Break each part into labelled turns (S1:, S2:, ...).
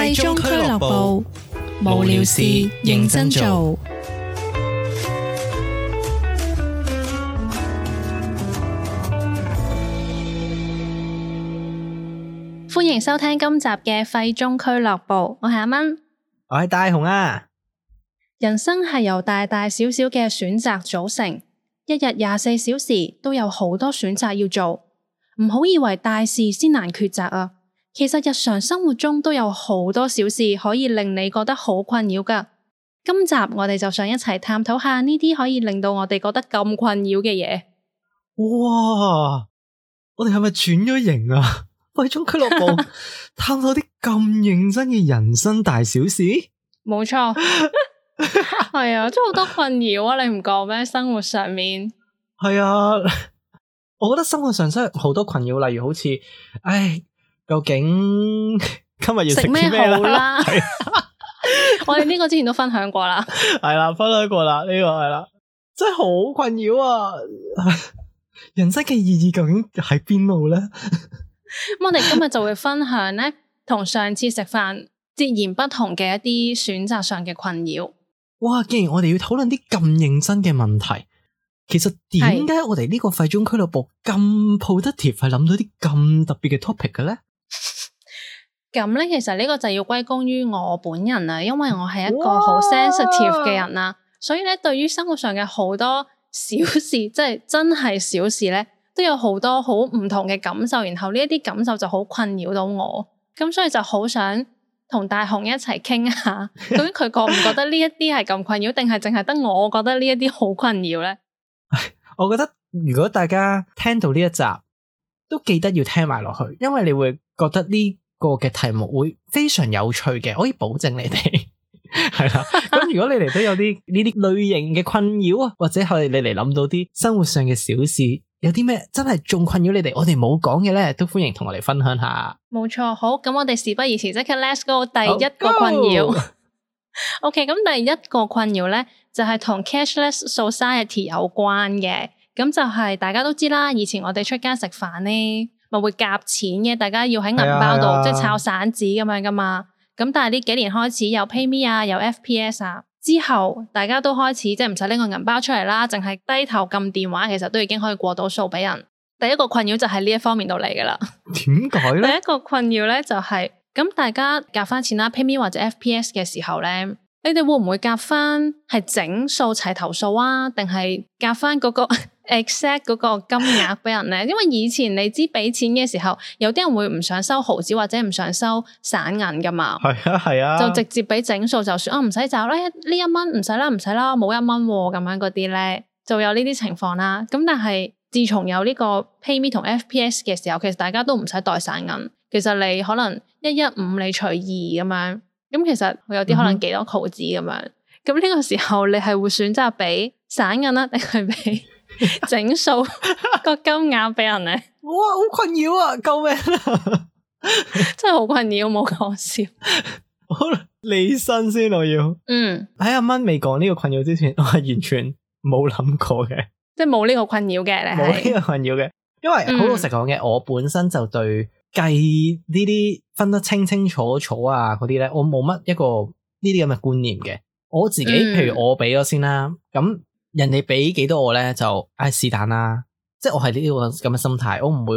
S1: 廢中俱樂部，無聊事認真做。歡迎收聽今集嘅廢中俱樂部，我係阿蚊，
S2: 我係大雄啊。
S1: 人生係由大大小小嘅選擇組成，一日24小時都有好多選擇要做，唔好以為大事先難抉擇啊。其實日常生活中都有好多小事可以令你覺得好困擾㗎。今集我哋就想一齊探討下呢啲可以令到我哋覺得咁困擾嘅嘢。
S2: 哇！我哋係咪轉咗型啊？廢中俱樂部探討啲咁認真嘅人生大小事？
S1: 冇錯，係啊，真係好多困擾啊！你唔覺咩？生活上面
S2: 係啊，我覺得生活上真係好多困擾，例如好似，究竟今日要食咩好啦？
S1: 我哋呢個之前都分享過啦，
S2: 係啦，分享過啦，呢個係啦，真係好困擾啊！人生嘅意義究竟喺邊度咧？
S1: 咁我哋今日就會分享咧，同上次食飯截然不同嘅一啲選擇上嘅困擾。
S2: 哇！既然我哋要討論啲咁認真嘅問題，其實點解我哋呢個廢中俱樂部咁 productive 係諗到啲咁特別嘅 topic 嘅咧？
S1: 咁咧，其實呢個就要歸功於我本人啦，因為我係一個好 sensitive 嘅人啦，所以咧，對於生活上嘅好多小事，即係真係小事咧，都有好多好唔同嘅感受，然後呢一啲感受就好困擾到我，咁所以就好想同大雄一齊傾下，究竟佢覺唔覺得呢一啲係咁困擾，定係淨係得我覺得呢一啲好困擾咧？
S2: 我覺得如果大家聽到呢一集，都記得要聽埋落去，因為你會覺得呢個嘅題目會非常有趣嘅，可以保證你哋係啦。咁如果你哋都有啲呢啲類型嘅困擾啊，或者係你嚟諗到啲生活上嘅小事，有啲咩真係仲困擾你哋，我哋冇講嘅咧，都歡迎同我哋分享下。冇
S1: 錯，好，咁我哋事不宜遲，即刻 Let's go 第一個困擾。OK， 咁第一個困擾咧就係同 cashless society 有關嘅，咁就係大家都知啦，以前我哋出街食飯咧，咪會夾錢嘅，大家要喺銀包度即係抄散紙咁樣噶嘛。咁但係呢幾年開始有 PayMe 啊，有 FPS 啊，之後大家都開始即係唔使拎個銀包出嚟啦，淨係低頭撳電話，其實都已經可以過到數俾人。第一個困擾就係呢一方面度嚟噶啦。
S2: 點解咧？第
S1: 一個困擾咧就係咁，大家夾翻錢啦 ，PayMe 或者 FPS 嘅時候咧，你哋會唔會夾翻係整數齊頭數啊？定係夾翻嗰個exact 嗰個金額俾人咧？因為以前你知俾錢嘅時候，有啲人會唔想收毫紙或者唔想收散銀噶嘛。係啊，就直接俾整數就算，唔使找啦，呢1蚊唔使啦，唔使啦，冇1蚊咁樣嗰啲咧，就有呢啲情況啦。咁但係自從有呢個 PayMe 同 FPS 嘅時候，其實大家都唔使袋散銀，其實你可能115你除2咁樣。咁其實有啲可能幾多毫子咁樣，咁呢個時候你係會選擇俾散銀啦，定係俾整數個金額俾人咧？
S2: 哇，好困擾啊！救命啊！
S1: 真係好困擾，冇講笑。
S2: 好，離身先我要。喺阿蚊未講呢個困擾之前，我係完全冇諗過嘅，即係
S1: 冇呢個困擾嘅，你係
S2: 冇呢個困擾嘅，因為好老實講嘅，我本身就對計呢啲分得清清楚楚啊嗰啲咧，我冇乜一個呢啲咁嘅觀念嘅。我自己譬如我俾咗先啦，咁人哋俾幾多我咧就是但啦，即係我係呢個咁嘅心態，我唔會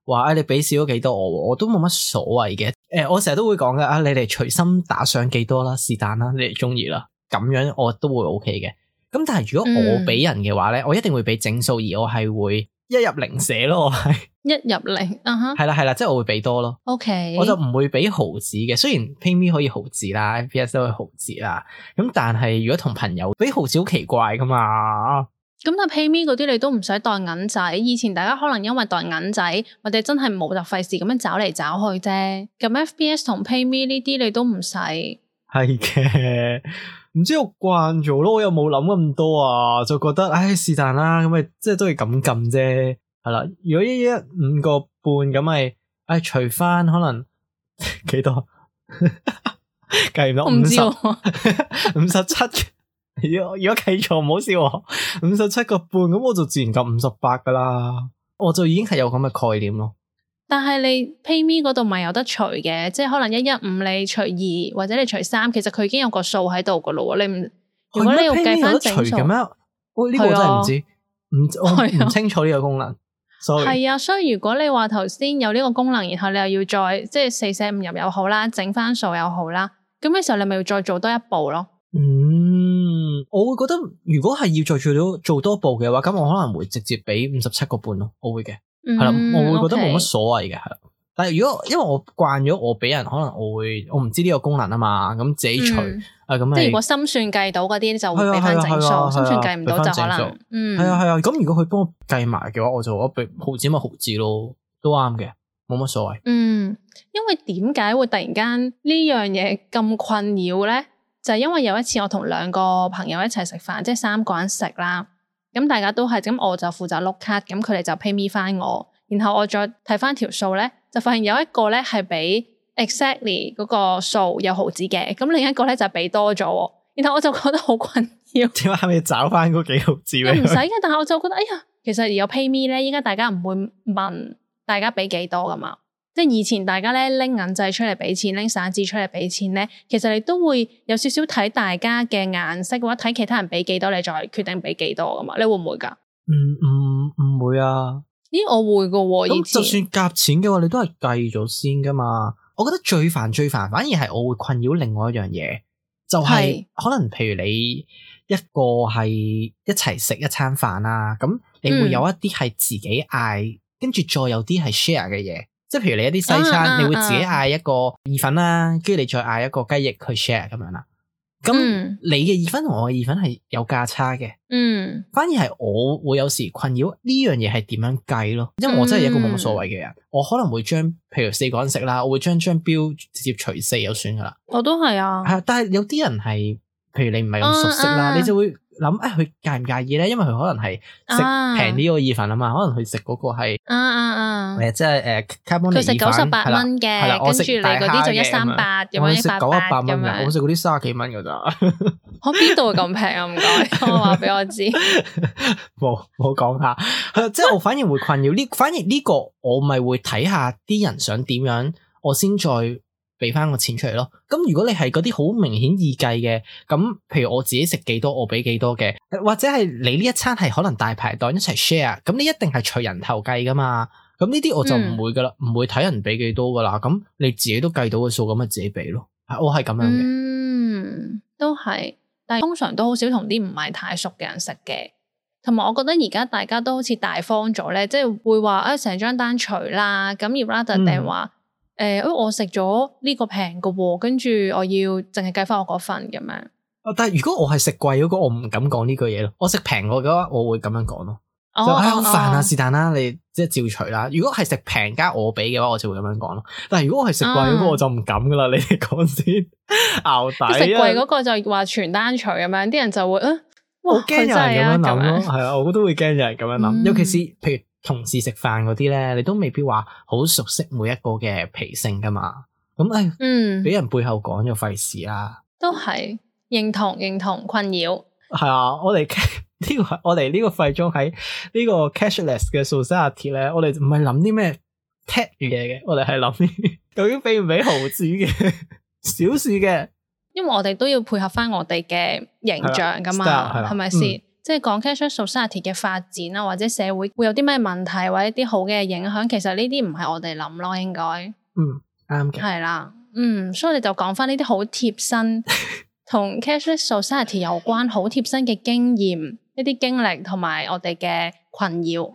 S2: 話你俾少咗幾多我都冇乜所謂嘅。我成日都會講嘅，你哋隨心打上幾多啦，是但啦，你哋中意啦，咁樣我都會 OK 嘅。咁但係如果我俾人嘅話咧，我一定會俾整數，而我係會一入零寫咯，我係
S1: 一入零，
S2: 係啦，即係我會俾多咯。
S1: OK，
S2: 我就唔會俾毫子嘅。雖然 PayMe 可以毫子啦 ，FPS 都可以毫子啦。咁但係如果同朋友俾毫子好奇怪噶嘛。
S1: 咁但係 PayMe 嗰啲你都唔使袋銀仔。以前大家可能因為袋銀仔，或者真係冇就費事咁樣找嚟找去啫。咁 FPS 同 PayMe 呢啲你都唔使。
S2: 係嘅，唔知我慣咗咯，我又冇諗咁多啊，就覺得是但啦，咁咪即係都係咁撳啫。係啦，如果一5個半咁咪，除翻可能幾多？計唔到57。如果計錯唔好笑，57個半咁我就自然撳58噶啦，我就已經係有咁嘅概念咯。
S1: 但係你 PayMe 嗰度咪有得除嘅，即係可能115你除2或者你除3，其實佢已經有個數喺度噶咯。你唔如果你要計翻整數，
S2: 嘅咩？我呢個真係唔知，我唔清楚呢個功能。
S1: 係啊，所以如果你話頭先有呢個功能，然後你又要再即係4捨5入又好啦，整翻數又好啦，咁嘅時候你咪要再做多一步咯。
S2: 我會覺得如果係要再做多步嘅話，咁我可能會直接俾57個半咯，我會嘅，係啦，我會覺得冇乜所謂嘅，係啦。但係如果因為我慣咗我俾人，可能我唔知呢個功能啊嘛，咁自己除咁。即
S1: 係如果心算計到嗰啲就會俾翻整數，心算計唔到就可能
S2: 係啊。咁如果佢幫我計埋嘅話，我俾毫子咪毫子咯，都啱嘅，冇乜所謂。
S1: 因為點解會突然間呢樣嘢咁困擾咧？就係因為有一次我同2個朋友一齊食飯，即係3個人食啦。咁大家都係咁，我就負責碌卡，咁佢哋就 pay me 翻我。然後我再睇翻條數咧，就發現有一個咧係俾 exactly 嗰個數有毫子嘅，咁另一個咧就俾多咗。然後我就覺得好困擾。
S2: 點解要找翻嗰幾毫子？
S1: 唔使嘅，但係我就覺得，哎呀，其實有 pay me 咧，依家大家唔會問大家俾幾多噶嘛。即係以前大家咧拎銀仔出嚟俾錢，拎散紙出嚟俾錢咧，其實你都會有少少睇大家嘅顏色，或者睇其他人俾幾多，你再決定俾幾多噶嘛？你會唔會噶？
S2: 唔會啊。
S1: 咦，我會噶喎。
S2: 咁就算夾錢嘅話，你都係計咗先噶嘛。我覺得最煩，反而係我會困擾另外一樣嘢，就係可能譬如你一個係一齊食一餐飯啦，咁你會有一啲係自己嗌，跟住再有啲係 share 嘅嘢。即係譬如你一啲西餐，你會自己嗌一個意粉啦，跟住你再嗌一個雞翼去 share 咁樣啦。咁你嘅意粉同我嘅意粉係有價差嘅。反而係我會有時困擾呢樣嘢係點樣計咯，因為我真係一個冇乜所謂嘅人，我可能會將譬如4個人食啦，我會將標直接除4就算噶啦。
S1: 我都係啊。
S2: 係啊，但係有啲人係，譬如你唔係咁熟悉啦，你就會諗佢介唔介意咧？因為佢可能係食平啲個意粉啊嘛，可能佢食嗰個係即係
S1: 佢食98蚊嘅，跟住你嗰啲就138咁樣，
S2: 我食98蚊
S1: 嘅，
S2: 我食嗰啲30幾蚊噶咋。
S1: 我邊度會咁平啊？唔該，我話俾我知。
S2: 冇講下，即係我反而會困擾呢，反而呢個我咪會睇下啲人想點樣，我先再俾翻個錢出嚟咯。咁如果你係嗰啲好明顯易計嘅，咁譬如我自己食幾多我俾幾多嘅，或者係你呢一餐係可能大排檔一齊 share， 咁你一定係除人頭計噶嘛。咁呢啲我就唔會噶啦，唔會睇人俾幾多噶啦。咁你自己都計到個數，咁咪自己俾咯。我係咁樣嘅。
S1: 都係，但係通常都好少同啲唔係太熟嘅人食嘅。同埋我覺得而家大家都好似大方咗咧，即係會話成張單除啦，咁而 rather 定話我食咗呢個平嘅喎，跟住我要淨係計翻我嗰份咁樣。
S2: 但係如果我係食貴嗰個，我唔敢講呢句嘢咯。我食平嘅話，我會咁樣講咯。好煩啊，是但啦，你即係照除啦。如果係食平加我俾嘅話，我就會咁樣講咯。但係如果我係食貴嗰個，我就唔敢噶啦。你哋講先，淆底。
S1: 食貴嗰個就話全單除咁樣，啲人就會
S2: 好驚有人咁樣諗咯。係啊，我都會驚有人咁樣諗。尤其是譬如同事食飯嗰啲咧，你都未必話好熟悉每一個嘅脾性噶嘛。咁俾人背後講就費事啦。
S1: 都係認同困擾。
S2: 係啊，我哋呢個廢中喺呢個 cashless 嘅 society 咧，我哋唔係諗啲咩 tech 嘢嘅，我哋係諗啲究竟俾唔俾毫子嘅小事嘅。
S1: 因為我哋都要配合翻我哋嘅形象噶嘛，係咪先？即係講 cashless society 嘅發展啊，或者社會會有啲咩問題，或者啲好嘅影響，其實呢啲唔係我哋諗咯，應該。
S2: 啱嘅。
S1: 係啦，所以我哋就講翻呢啲好貼身。同 cashless society 有關好貼身嘅經驗，一啲經歷同埋我哋嘅困擾。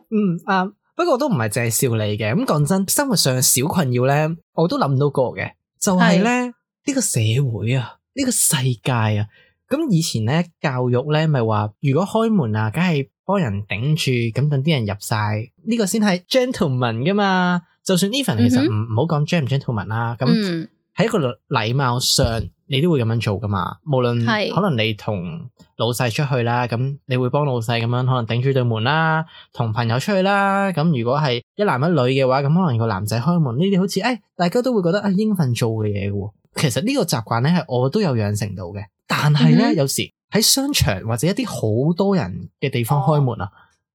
S2: 不過都唔係淨係笑你嘅。咁講真，生活上嘅小困擾咧，我都諗到過嘅。就係咧呢個社會啊，呢個世界啊。咁以前咧教育咧咪話，如果開門啊，梗係幫人頂住，咁等啲人入晒，呢個先係 gentleman 噶嘛。就算 even 其實唔好講 gentleman 啦，咁喺一個禮貌上。你都會咁樣做噶嘛？無論可能你同老細出去啦，咁你會幫老細咁樣可能頂住對門啦，同朋友出去啦。咁如果係一男一女嘅話，咁可能個男仔開門，呢啲好似大家都會覺得應份做嘅嘢嘅。其實呢個習慣咧係我都有養成到嘅，但係咧有時喺商場或者一啲好多人嘅地方開門啊，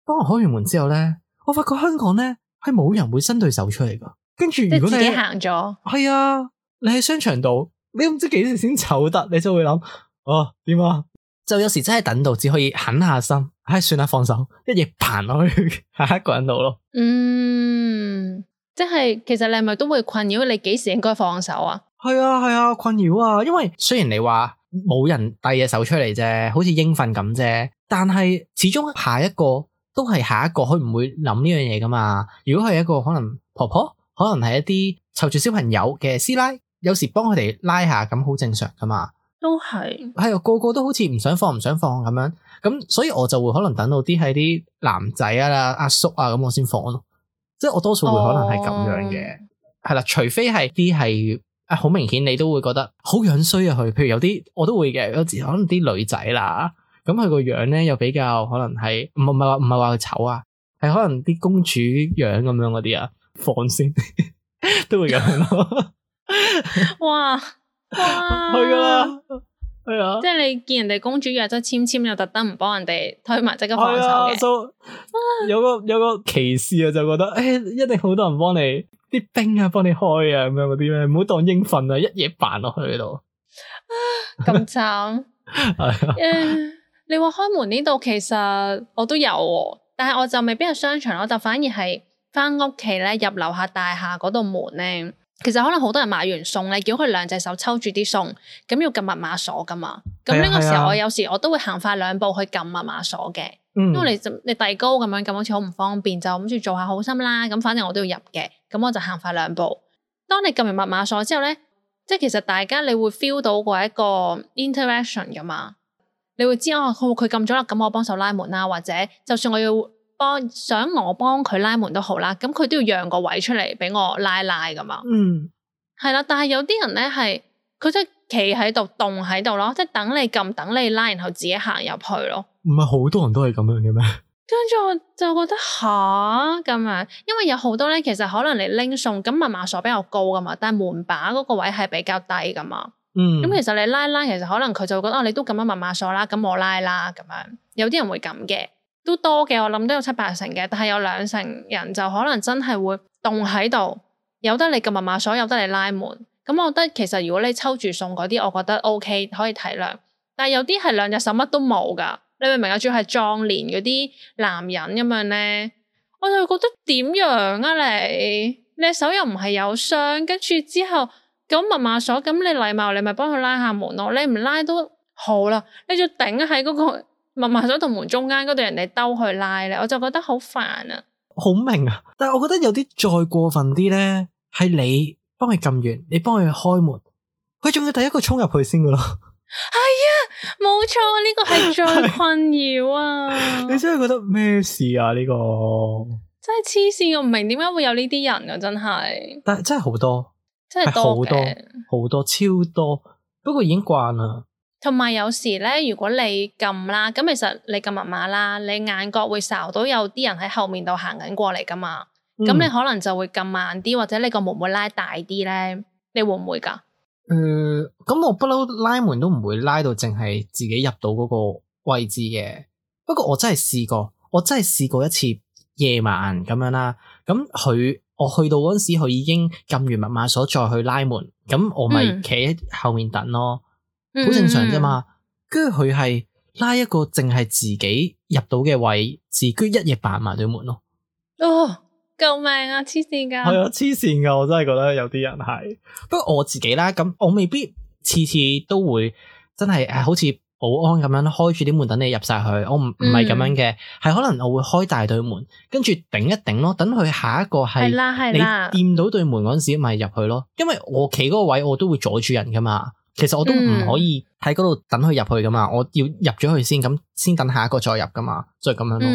S2: 當我開完門之後咧，我發覺香港咧係冇人會伸對手出嚟噶。跟住
S1: 即係自己
S2: 如果你
S1: 行咗，
S2: 係啊，你喺商場度，你都唔知幾時先走得，你就會諗點啊？就有時真係等到只可以狠下心，算啦，放手，一嘢彈落去下一個人度咯。
S1: 即係其實你係咪都會困擾你幾時應該放手啊？
S2: 係啊，困擾啊，因為雖然你話冇人遞隻手出嚟啫，好似應份咁啫，但係始終下一個都係下一個，佢唔會諗呢樣嘢噶嘛。如果係一個可能婆婆，可能係一啲湊住小朋友嘅師奶，有時幫佢哋拉下咁好正常噶嘛。
S1: 都係
S2: 啊，個個都好似唔想放咁樣，咁所以我就會可能等到啲係啲男仔啊、阿叔啊咁我先放咯，即係我多數會可能係咁樣嘅，係啦，除非係啲係好明顯你都會覺得好樣衰啊佢，譬如有啲我都會嘅，有時可能啲女仔啦，咁佢個樣咧又比較可能係唔係話佢醜啊，係可能啲公主樣咁樣嗰啲啊，放先都會咁樣咯。
S1: 哇！
S2: 係噶啦，係啊，
S1: 即係你見人哋公主約咗簽又特登唔幫人哋推埋，即刻放手嘅。
S2: 有個歧視啊，就覺得一定好多人幫你啲兵啊，幫你開啊咁樣嗰啲咩，唔好當應份啊，一嘢扮落去度。
S1: 咁慘係你話開門呢度，其實我都有，但係我就未必係商場，我就反而係翻屋企咧，入樓下大廈嗰度門咧。其實可能好多人買完餸咧，叫佢兩隻手抽住啲餸，咁要撳密碼鎖噶嘛。咁呢個時候我有時我都會行快兩步去撳密碼鎖嘅，因為你遞高咁樣撳好似好唔方便，就諗住做下好心啦。咁反正我都要入嘅，咁我就行快兩步。當你撳完密碼鎖之後咧，即係其實大家你會 feel 到嗰一個 interaction 噶嘛，你會知佢撳咗啦，咁我幫手拉門啦，或者就算我要想我幫佢拉門都好啦，咁佢都要讓個位出嚟俾我拉噶嘛。係啦，但係有啲人咧係佢真係企喺度凍喺度咯，即係等你撳，等你拉，然後自己行入去咯。唔係好多人都係咁樣嘅咩？跟住我就覺得咁樣，因為有好多咧，其實可能你拎餸，咁密碼鎖比較高噶嘛，但係門把嗰個位係比較低噶嘛。咁其實你拉，其實可能佢就會覺得你都撳咗密碼鎖啦，咁我拉啦咁樣。有啲人會咁嘅。都多嘅，我諗都有7-8成嘅，但係有2成人就可能真係會凍喺度，有得你撳密碼鎖，有得你拉門。咁我覺得其實如果你抽住送嗰啲，我覺得 OK 可以體諒。但係有啲係兩隻手乜都冇噶，你明唔明啊？仲要係壯年嗰啲男人咁樣咧，我就覺得點樣啊你手又唔係有傷，跟住之後咁密碼鎖，咁你禮貌你咪幫佢拉下門咯，你唔拉都好啦，你就頂喺嗰個密碼鎖同門中間嗰度，人哋兜去拉咧，我就覺得好煩啊！好明啊，但係我覺得有啲再過分啲咧，係你幫佢撳完，你幫佢開門，佢仲要第一個衝入去先噶咯。係啊，冇錯，呢個係最困擾啊！你真係覺得咩事啊？呢個真係黐線，我唔明點解會有呢啲人啊！真係，但係真係好多，真係好多好多超多，不過已經慣啦。同埋有時咧，如果你撳啦，咁其實你撳密碼啦，你眼角會睄到有啲人喺後面度行緊過嚟噶嘛，咁你可能就會撳慢啲，或者你個門會拉大啲咧，你會唔會噶？咁我不嬲拉門都唔會拉到淨係自己入到嗰個位置嘅。不過我真係試過一次夜晚咁樣啦，咁我去到嗰陣時，佢已經撳完密碼鎖再去拉門，咁我咪企喺後面等咯。好正常啫嘛，跟住佢係拉一個淨係自己入到嘅位置，居一嘢扮埋對門咯。救命啊！黐線噶，係啊，黐線噶，我真係覺得有啲人係。不過我自己啦，咁我未必次次都會真係好似保安咁樣開住啲門等你入晒去。我唔係咁樣嘅，係可能我會開大對門，跟住頂一頂咯，等佢下一個係你掂到對門嗰陣時咪入去咯。因為我企嗰個位我都會阻住人噶嘛。其實我都唔可以喺嗰度等佢入去噶嘛，我要入咗去先，咁先等下一個再入噶嘛，就係咁樣咯。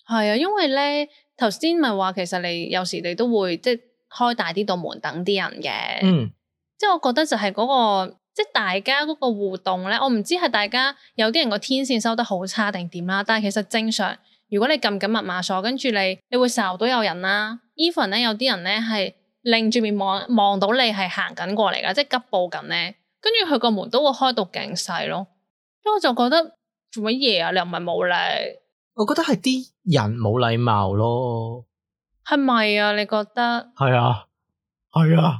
S1: 係啊，因為咧頭先咪話，其實你有時你都會即係開大啲道門等啲人嘅。即係我覺得就係嗰個即係大家嗰個互動咧，我唔知係大家有啲人個天線收得好差定點啦，但係其實正常，如果你撳緊密碼鎖，跟住你會睄到有人啦。even 咧有啲人咧係擰住面望到你係行緊過嚟噶，即係急步緊咧。跟住佢個門都會開到勁細咯，所以我就覺得做乜嘢啊？你又唔係冇禮，我覺得係啲人冇禮貌咯，係咪啊？你覺得？係啊，
S2: 係啊，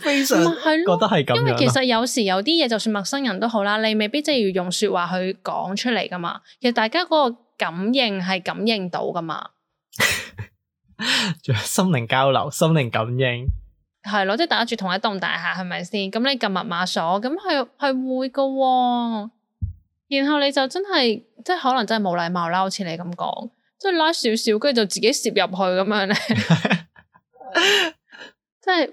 S2: 非常覺得係咁樣。
S1: 因為其實有時有啲嘢，就算陌生人都好啦，你未必真係要用說話去講出嚟噶嘛。其實大家嗰個感應係感應到噶嘛。
S2: 仲有心靈交流、心靈感應，
S1: 係咯，即係大家住同一棟大廈，係咪先？咁你撳密碼鎖，咁係會噶喎。然後你就真係，即係可能真係冇禮貌啦，好似你咁講，即係拉少少，跟住就自己攝入去咁樣咧。即係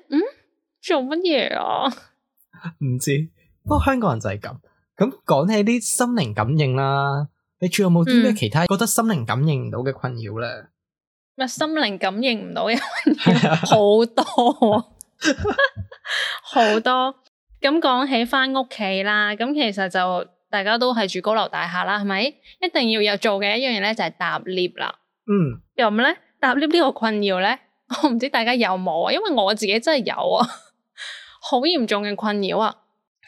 S1: 做乜嘢啊？
S2: 唔知，不過香港人就係咁。咁講起啲心靈感應啦，你仲有冇啲咩其他覺得心靈感應唔到嘅困擾咧？
S1: 乜心靈感應唔到嘅困擾好多，好多。咁講起返屋企啦，咁其實就大家都係住高樓大廈啦，係咪？一定要有做嘅一樣嘢咧，就係搭 lift 啦。咁咧搭 lift 呢個困擾咧？我唔知大家有冇啊，因為我自己真係有啊，好嚴重嘅困擾啊！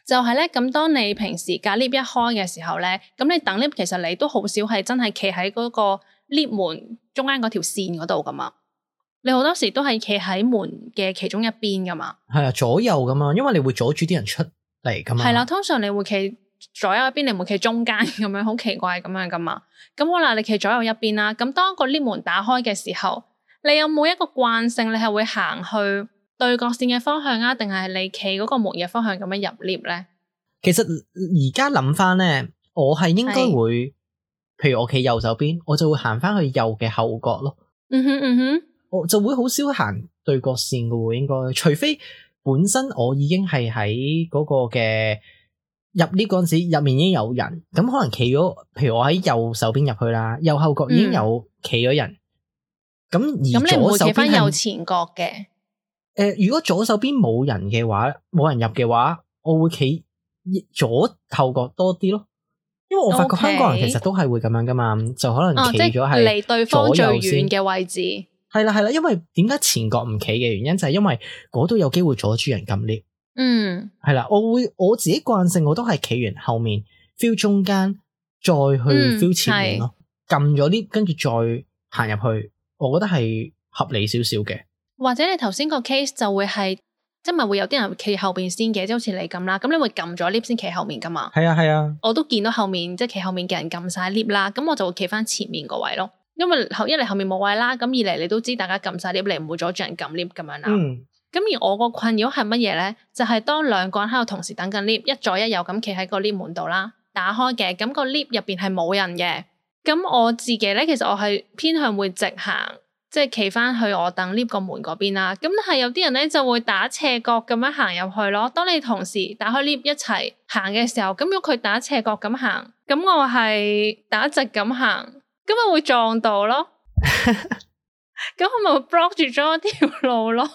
S1: 就係咧，咁當你平時架 lift 一開嘅時候咧，咁你等 lift 其實你都好少係真係企喺嗰個 lift 門中間嗰條線嗰度噶嘛，你好多時都係企喺門嘅其中一邊噶嘛。
S2: 係啊，左右噶嘛，因為你會阻住啲人出嚟噶嘛。
S1: 係啦，通常你會企左右一邊，你唔會企中間咁樣，好奇怪咁樣噶嘛。咁好啦，你企左右一邊啦，咁當個 lift 門打開嘅時候，你有冇一個慣性，你係會行去對角線嘅方向啊，定係你企嗰個門嘅方向咁樣入 lift 咧？其實
S2: 而家諗翻咧，我係應該會，譬如我企右手邊，我就會行翻去右嘅後角咯。我就會好少行對角線嘅喎，應該，除非本身我已經係喺嗰個嘅入 lift 嗰陣時，入面已經有人，咁可能企咗，譬如我喺右手邊入去啦，右後角已經有企咗人。咁而左手邊係右前角嘅。如果左手邊冇人嘅話，冇人入嘅話，我會企左後角多啲咯。因為我發覺香港人其實都係會咁樣噶嘛，就可能企咗係離對方最遠嘅位置。係啦，因為點解前角唔企嘅原因就係因為嗰度有機會阻住人撳 lift。係啦，我自己慣性我都係企完後面 feel 中間，再去 feel 前面咯。撳咗 lift 跟住再行入去。我覺得係合理少少嘅，或者你頭先個 case 就會係，即係咪會有啲人企後邊先嘅，即係好似你咁啦，咁你會撳咗 lift 先企後面噶嘛？係啊，我都見到後面即係企後面嘅人撳晒 lift 啦，咁我就會企翻前面個位咯，因為一嚟後面冇位啦，咁二嚟你都知大家撳晒 lift，你唔會阻住人撳 lift 咁樣啦。咁而我個困擾係乜嘢咧？就係當兩個人喺度同時等緊 lift，一左一右咁企喺個 lift 門度啦，打開嘅，咁個 lift 入邊係冇人嘅。咁我自己咧，其實我係偏向會直行，即係企翻去我等 lift 個門嗰邊啦。咁但係有啲人咧就會打斜角咁樣行入去咯。當你同時打開 lift 一齊行嘅時候，咁如果佢打斜角咁行，咁我係打直咁行，咁咪會撞到咯。咁我咪會 block 住咗條路咯。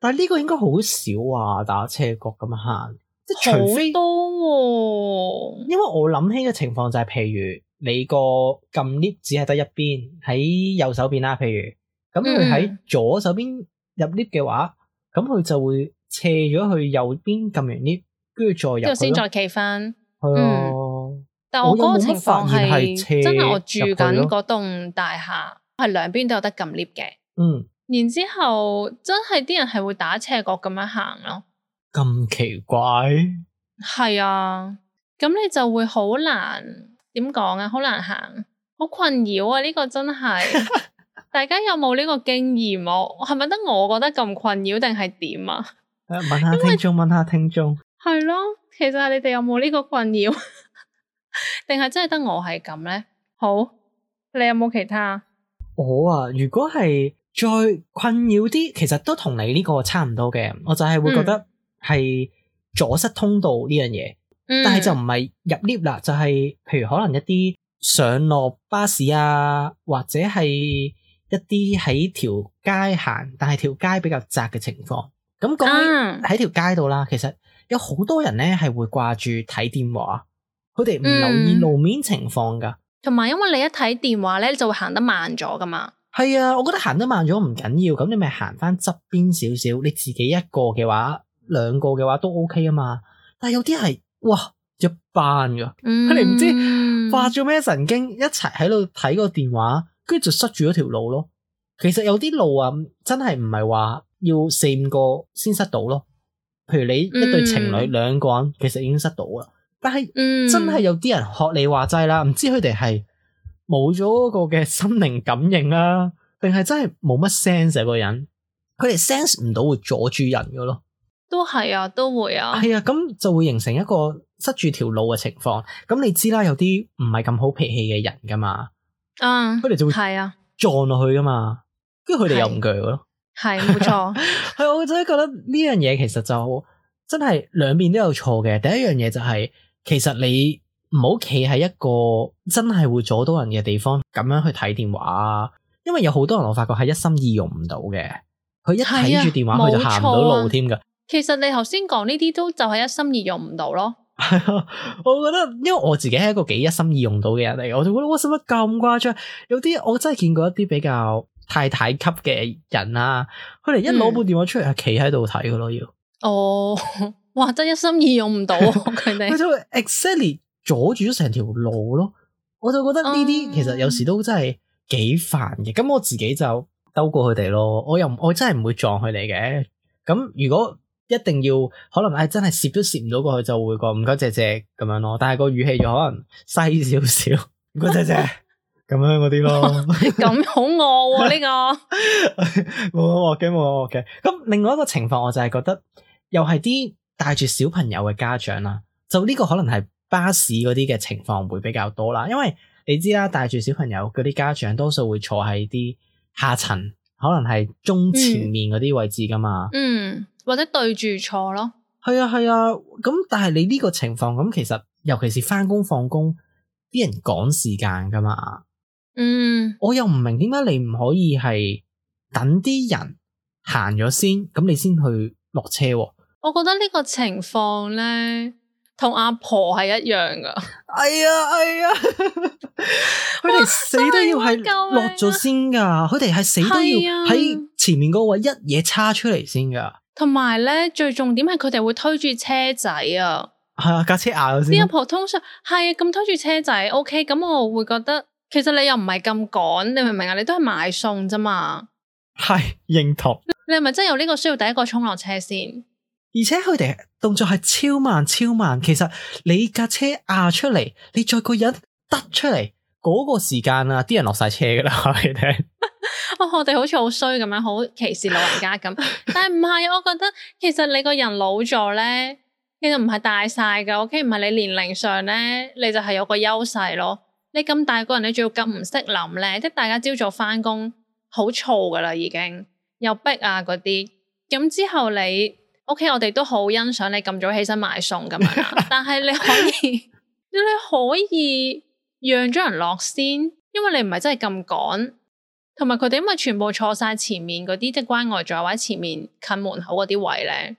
S2: 但係呢個應該好少啊，打斜角咁行，即係除非多喎。因為我諗起嘅情況就係譬如。你個撳 lift 只係得一邊喺右手邊啦，譬如咁佢喺左手邊入 lift 嘅話，咁佢就會斜咗去右邊撳完 lift，跟住再入去咯，先再企翻。係啊，但我嗰個情況係真係我住緊嗰棟大廈，係兩邊都有得撳 lift 嘅。然之後真係啲人係會打斜角咁樣行咯。咁奇怪？係啊，咁你就會好難。點講啊？好難行，好困擾啊！呢個真係，大家有冇呢個經驗？我係咪得我覺得咁困擾，定係點啊？問下聽眾，問下聽眾。係咯，其實你哋有冇呢個困擾？定係真係得我係咁咧？好，你有冇其他？我啊，如果係再困擾啲，其實都同你呢個差唔多嘅。我就係會覺得係阻塞通道呢樣嘢。但係就唔係入 lift 啦，就係譬如可能一啲上落巴士啊，或者係一啲喺條街行，但係條街比較窄嘅情況。咁講起喺條街度啦，其實有好多人咧係會掛住睇電話，佢哋唔留意路面情況噶。同埋因為你一睇電話咧，就會行得慢咗噶嘛。係啊，我覺得行得慢咗唔緊要，咁你咪行翻側邊少少，你自己一個嘅話，兩個嘅話都 OK 啊嘛。但係有啲係。哇！一班噶，佢哋唔知發咗咩神經，一齊喺度睇個電話，跟住就塞住咗條路咯。其實有啲路啊，真係唔係話要4-5個先塞到咯。譬如你一對情侶2個人，其實已經塞到啦。但係真係有啲人學你話齋啦，唔知佢哋係冇咗嗰個嘅心靈感應啊，定係真係冇乜 sense 個人，佢哋 sense 唔到會阻住人噶咯。
S1: 都係啊，都會啊。
S2: 係啊，咁就會形成一個塞住條路嘅情況。咁你知啦，有啲唔係咁好脾氣嘅人噶嘛，佢哋就會係啊撞落去噶嘛，跟住佢哋又唔鋸咯。
S1: 係冇錯，
S2: 係我真係覺得呢樣嘢其實就真係兩邊都有錯嘅。第一樣嘢就係，其實你唔好企喺一個真係會阻到人嘅地方咁樣去睇電話啊，因為有好多人我發覺係一心二用唔到嘅，佢一睇住電話佢就行唔到路添噶。
S1: 其實你頭先講呢啲都就係一心二用唔到咯。
S2: 係啊，我覺得因為我自己係一個幾一心二用到嘅人嚟嘅，我就覺得哇，使乜咁誇張？有啲我真係見過一啲比較太太級嘅人啊，佢哋一攞部電話出嚟係企喺度睇噶咯，要
S1: 哦，哇，真係一心二用唔到佢哋，
S2: 佢就會 exactly 阻住咗成條路咯。我就覺得呢啲其實有時都真係幾煩嘅。咁我自己就兜過佢哋咯，我真係唔會撞佢哋嘅。咁如果一定要可能真係攝都攝唔到過去，就會講唔該謝謝咁樣咯。但係個語氣就可能細少少，唔該謝謝咁樣嗰啲咯。
S1: 咁好惡喎呢個。
S2: 冇嘅。咁另外一個情況，我就係覺得又係啲帶住小朋友嘅家長啦。就呢個可能係巴士嗰啲嘅情況會比較多啦。因為你知啦，帶住小朋友嗰啲家長多數會坐喺啲下層，可能係中前面嗰啲位置噶嘛。
S1: 或者對住坐咯。
S2: 係啊，咁但係你呢個情況咁，其實尤其是翻工放工，啲人趕時間噶嘛。我又唔明點解你唔可以係等啲人行咗先，咁你先去落車。
S1: 我覺得呢個情況咧，同阿婆係一樣噶。
S2: 係啊，佢哋死都要係落咗先噶，佢哋係死都要喺前面嗰位一嘢叉出嚟先噶。
S1: 同埋咧，最重點係佢哋會推住車仔啊。
S2: 係啊，架車壓咗先。
S1: 啲阿婆通常係咁推住車仔 ，OK， 咁我會覺得其實你又唔係咁趕，你明唔明啊？你都係買餸啫嘛。
S2: 係認同。
S1: 你係咪真係有呢個需要第一個衝落車先？
S2: 而且佢哋動作係超慢，其實你架車壓出嚟，你再個人得出嚟嗰個時間啊，啲人落晒車噶啦，你聽。
S1: 我哋好似好衰咁樣，好歧視老人家咁，但係唔係，我覺得其實你個人老咗咧，其實唔係大晒噶 ，OK， 唔係你年齡上咧，你就係有個優勢咯。你咁大個人，你仲要咁唔識諗咧，即係大家朝早翻工好嘈噶啦，已經又逼啊嗰啲，咁之後你 OK， 我哋都好欣賞你咁早起身買餸咁樣啦，但係你可以讓咗人落先，因為你唔係真係咁趕。同埋佢哋因為全部坐晒前面嗰啲，即係關愛座或者前面近門口嗰啲位咧，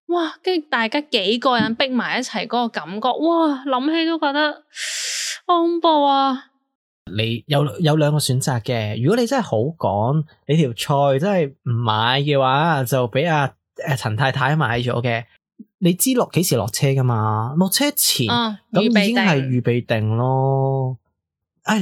S1: 哇！跟住大家幾個人逼埋一齊嗰個感覺，哇！諗起都覺得好恐怖啊！
S2: 你有兩個選擇嘅，如果你真係好趕，你條菜真係唔買嘅話，就俾阿陳太太買咗嘅。你知幾時落車噶嘛？落車前咁已經係預備定咯。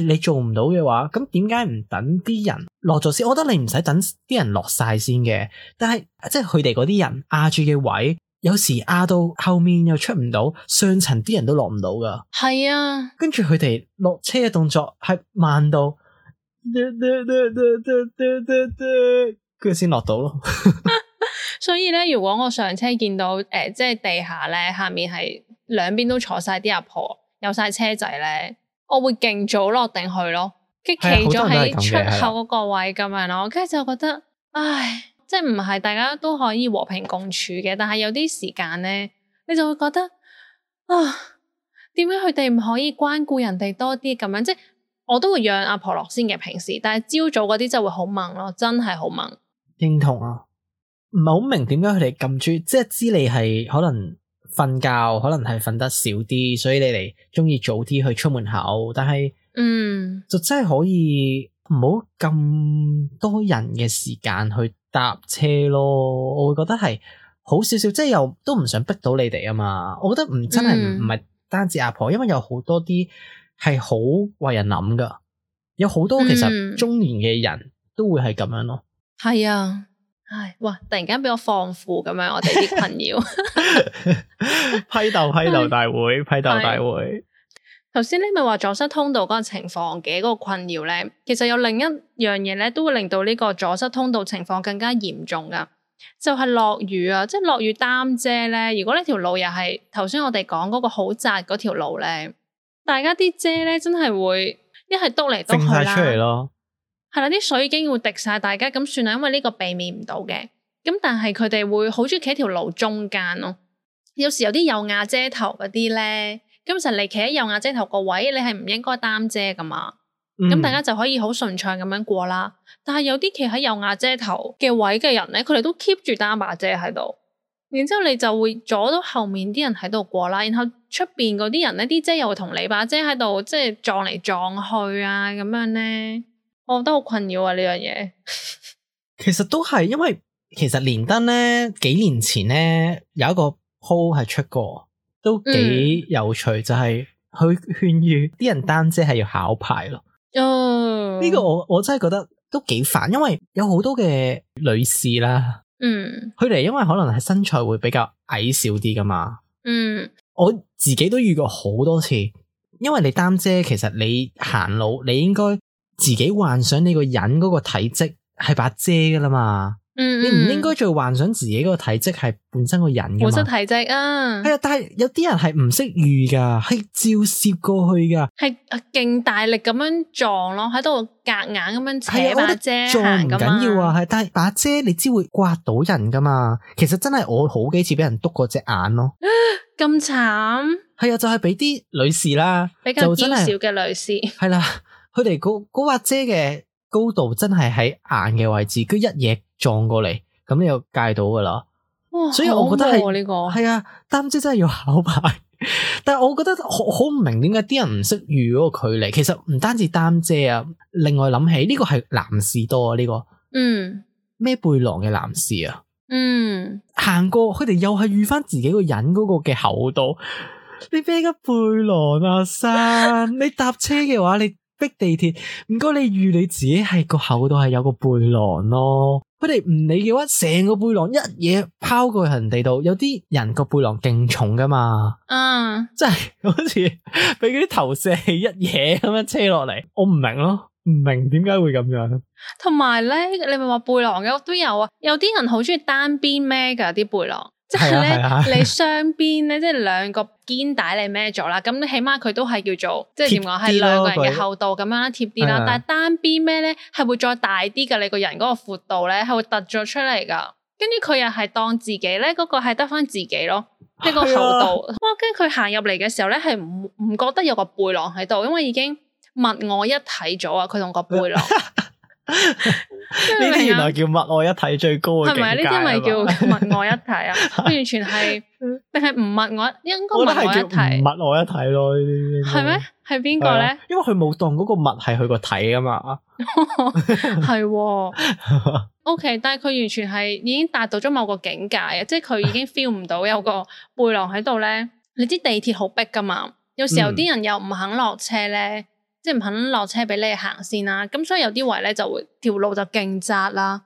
S2: 你做唔到嘅話，咁點解唔等啲人落咗先？我覺得你唔使等啲人落晒先嘅，但係即係佢哋嗰啲人壓住嘅位，有時壓到後面又出唔到，上層啲人都落唔到噶。
S1: 係啊，
S2: 跟住佢哋落車嘅動作係慢到，跟住先落到咯。
S1: 所以咧，如果我上車見到即係地下咧，下面係兩邊都坐晒啲阿婆，有晒車仔咧。我會勁早落定去咯，跟住企咗喺出口嗰個位咁樣咯，跟住就覺得，唉，即係唔係大家都可以和平共處嘅，但係有啲時間咧，你就會覺得啊，點解佢哋唔可以關顧人哋多啲咁樣？即係我都會讓阿婆落先嘅平時，但係朝早嗰啲就會好猛咯，真係好猛。認
S2: 同啊，唔係好明點解佢哋咁中意，即係知你係可能。瞓覺可能係瞓得少啲，所以你哋中意早啲去出門口，但係就真係可以唔好咁多人嘅時間去搭車咯。我會覺得係好少少，即係又都唔想逼到你哋啊嘛。我覺得真係唔係單止阿婆，因為有好多啲係好為人諗噶，有好多其實中年嘅人都會係咁樣咯。
S1: 係啊。唉，哇！突然間俾我放負咁樣，我哋啲困擾。
S2: 批鬥大會，批鬥大會。
S1: 頭先你咪話阻塞通道嗰個情況嘅嗰個困擾咧，其實有另一樣嘢咧，都會令到呢個阻塞通道情況更加嚴重噶，就係落雨啊！即係落雨擔遮咧，如果呢條路又係頭先我哋講嗰個好窄嗰條路咧，大家啲遮咧真係會一係篤嚟篤去啦，
S2: 揈晒出嚟咯。
S1: 係啦，啲水已經會滴晒大家，咁算啦，因為呢個避免唔到嘅。咁但係佢哋會好中意企喺條路中間咯。有時有啲有瓦遮頭嗰啲咧，咁其實你企喺有瓦遮頭個位，你係唔應該擔遮噶嘛。咁大家就可以好順暢咁樣過啦。但係有啲企喺有瓦遮頭嘅位嘅人咧，佢哋都 keep 住擔把遮喺度，然之後你就會阻到後面啲人喺度過啦。然後出邊嗰啲人咧，啲遮又會同你把遮喺度即係撞嚟撞去啊，咁樣咧。我覺得好困擾啊呢樣嘢。
S2: 其實都係，因為其實連登咧幾年前咧有一個 po 係出過，都幾有趣，就係佢勸喻啲人擔遮係要考牌咯。呢個我真係覺得都幾煩，因為有好多嘅女士啦，佢哋因為可能係身材會比較矮小啲噶嘛，我自己都遇過好多次，因為你擔遮，其實你行路你應該自己幻想你個人嗰個體積係把遮噶啦嘛，你唔應該再幻想自己嗰個體積係本身個人噶嘛。本身
S1: 體積啊，
S2: 係啊，但係有啲人係唔識預噶，係照攝過去噶，
S1: 係勁大力咁樣撞咯，喺度夾硬咁樣扯把遮行咁
S2: 撞唔緊要啊，係，但係把遮你知會刮到人噶嘛。其實真係我好幾次俾人篤過隻眼咯，
S1: 咁慘。
S2: 係啊，就係俾啲女士啦，
S1: 比較嬌小嘅女士，
S2: 係啦。佢哋嗰把遮嘅高度真係喺眼嘅位置，佢一嘢撞過嚟，咁你就戒到噶啦。所以我覺得係呢個係啊，擔遮真係要考牌。但係我覺得好唔明點解啲人唔識預嗰個距離。其實唔單止擔遮啊，另外諗起呢個係男士多啊，呢個孭背囊嘅男士啊，行過佢哋又係預翻自己個人嗰個嘅厚度。你孭個背囊啊，山你搭車嘅話你。逼地鐵，唔該你預你自己係個厚度係有個背囊咯。佢哋唔理嘅話，成個背囊一嘢拋過去人哋度。有啲人個背囊勁重噶嘛，真係好似俾嗰啲投射器一嘢咁樣車落嚟。我唔明咯，唔明點解會咁樣。同
S1: 埋咧，你咪話背囊嘅都有啊，有啲人好中意單邊孭噶啲背囊。即係咧，你雙邊咧，即係兩個肩帶你孭咗啦，咁起碼佢都係叫做即係點講，係兩個人嘅厚度咁樣啦，貼啲啦。但係單邊孭咧係會再大啲噶，你個人嗰個闊度咧係會突咗出嚟噶。跟住佢又係當自己咧嗰個係得翻自己咯，即係個厚度。哇！跟住佢行入嚟嘅時候咧，係唔覺得有個背囊喺度，因為已經物我一體咗啊！佢同個背囊。
S2: 呢啲原來叫物我一體最高嘅境界，係咪？呢啲咪叫
S1: 物我一體啊？完全係定係唔物我？應該物我一體，
S2: 物我一體咯。呢啲
S1: 係咩？係邊個咧？
S2: 因為佢冇當嗰個物係佢個體啊嘛。
S1: 係，OK， 但係佢完全係已經達到咗某個境界啊！即係佢已經 feel 唔到有個背囊喺度咧。你知地鐵好逼噶嘛？有時候啲人又唔肯落車咧。即係唔肯落車俾你行先啦，咁所以有啲位咧就會條路就勁窄啦。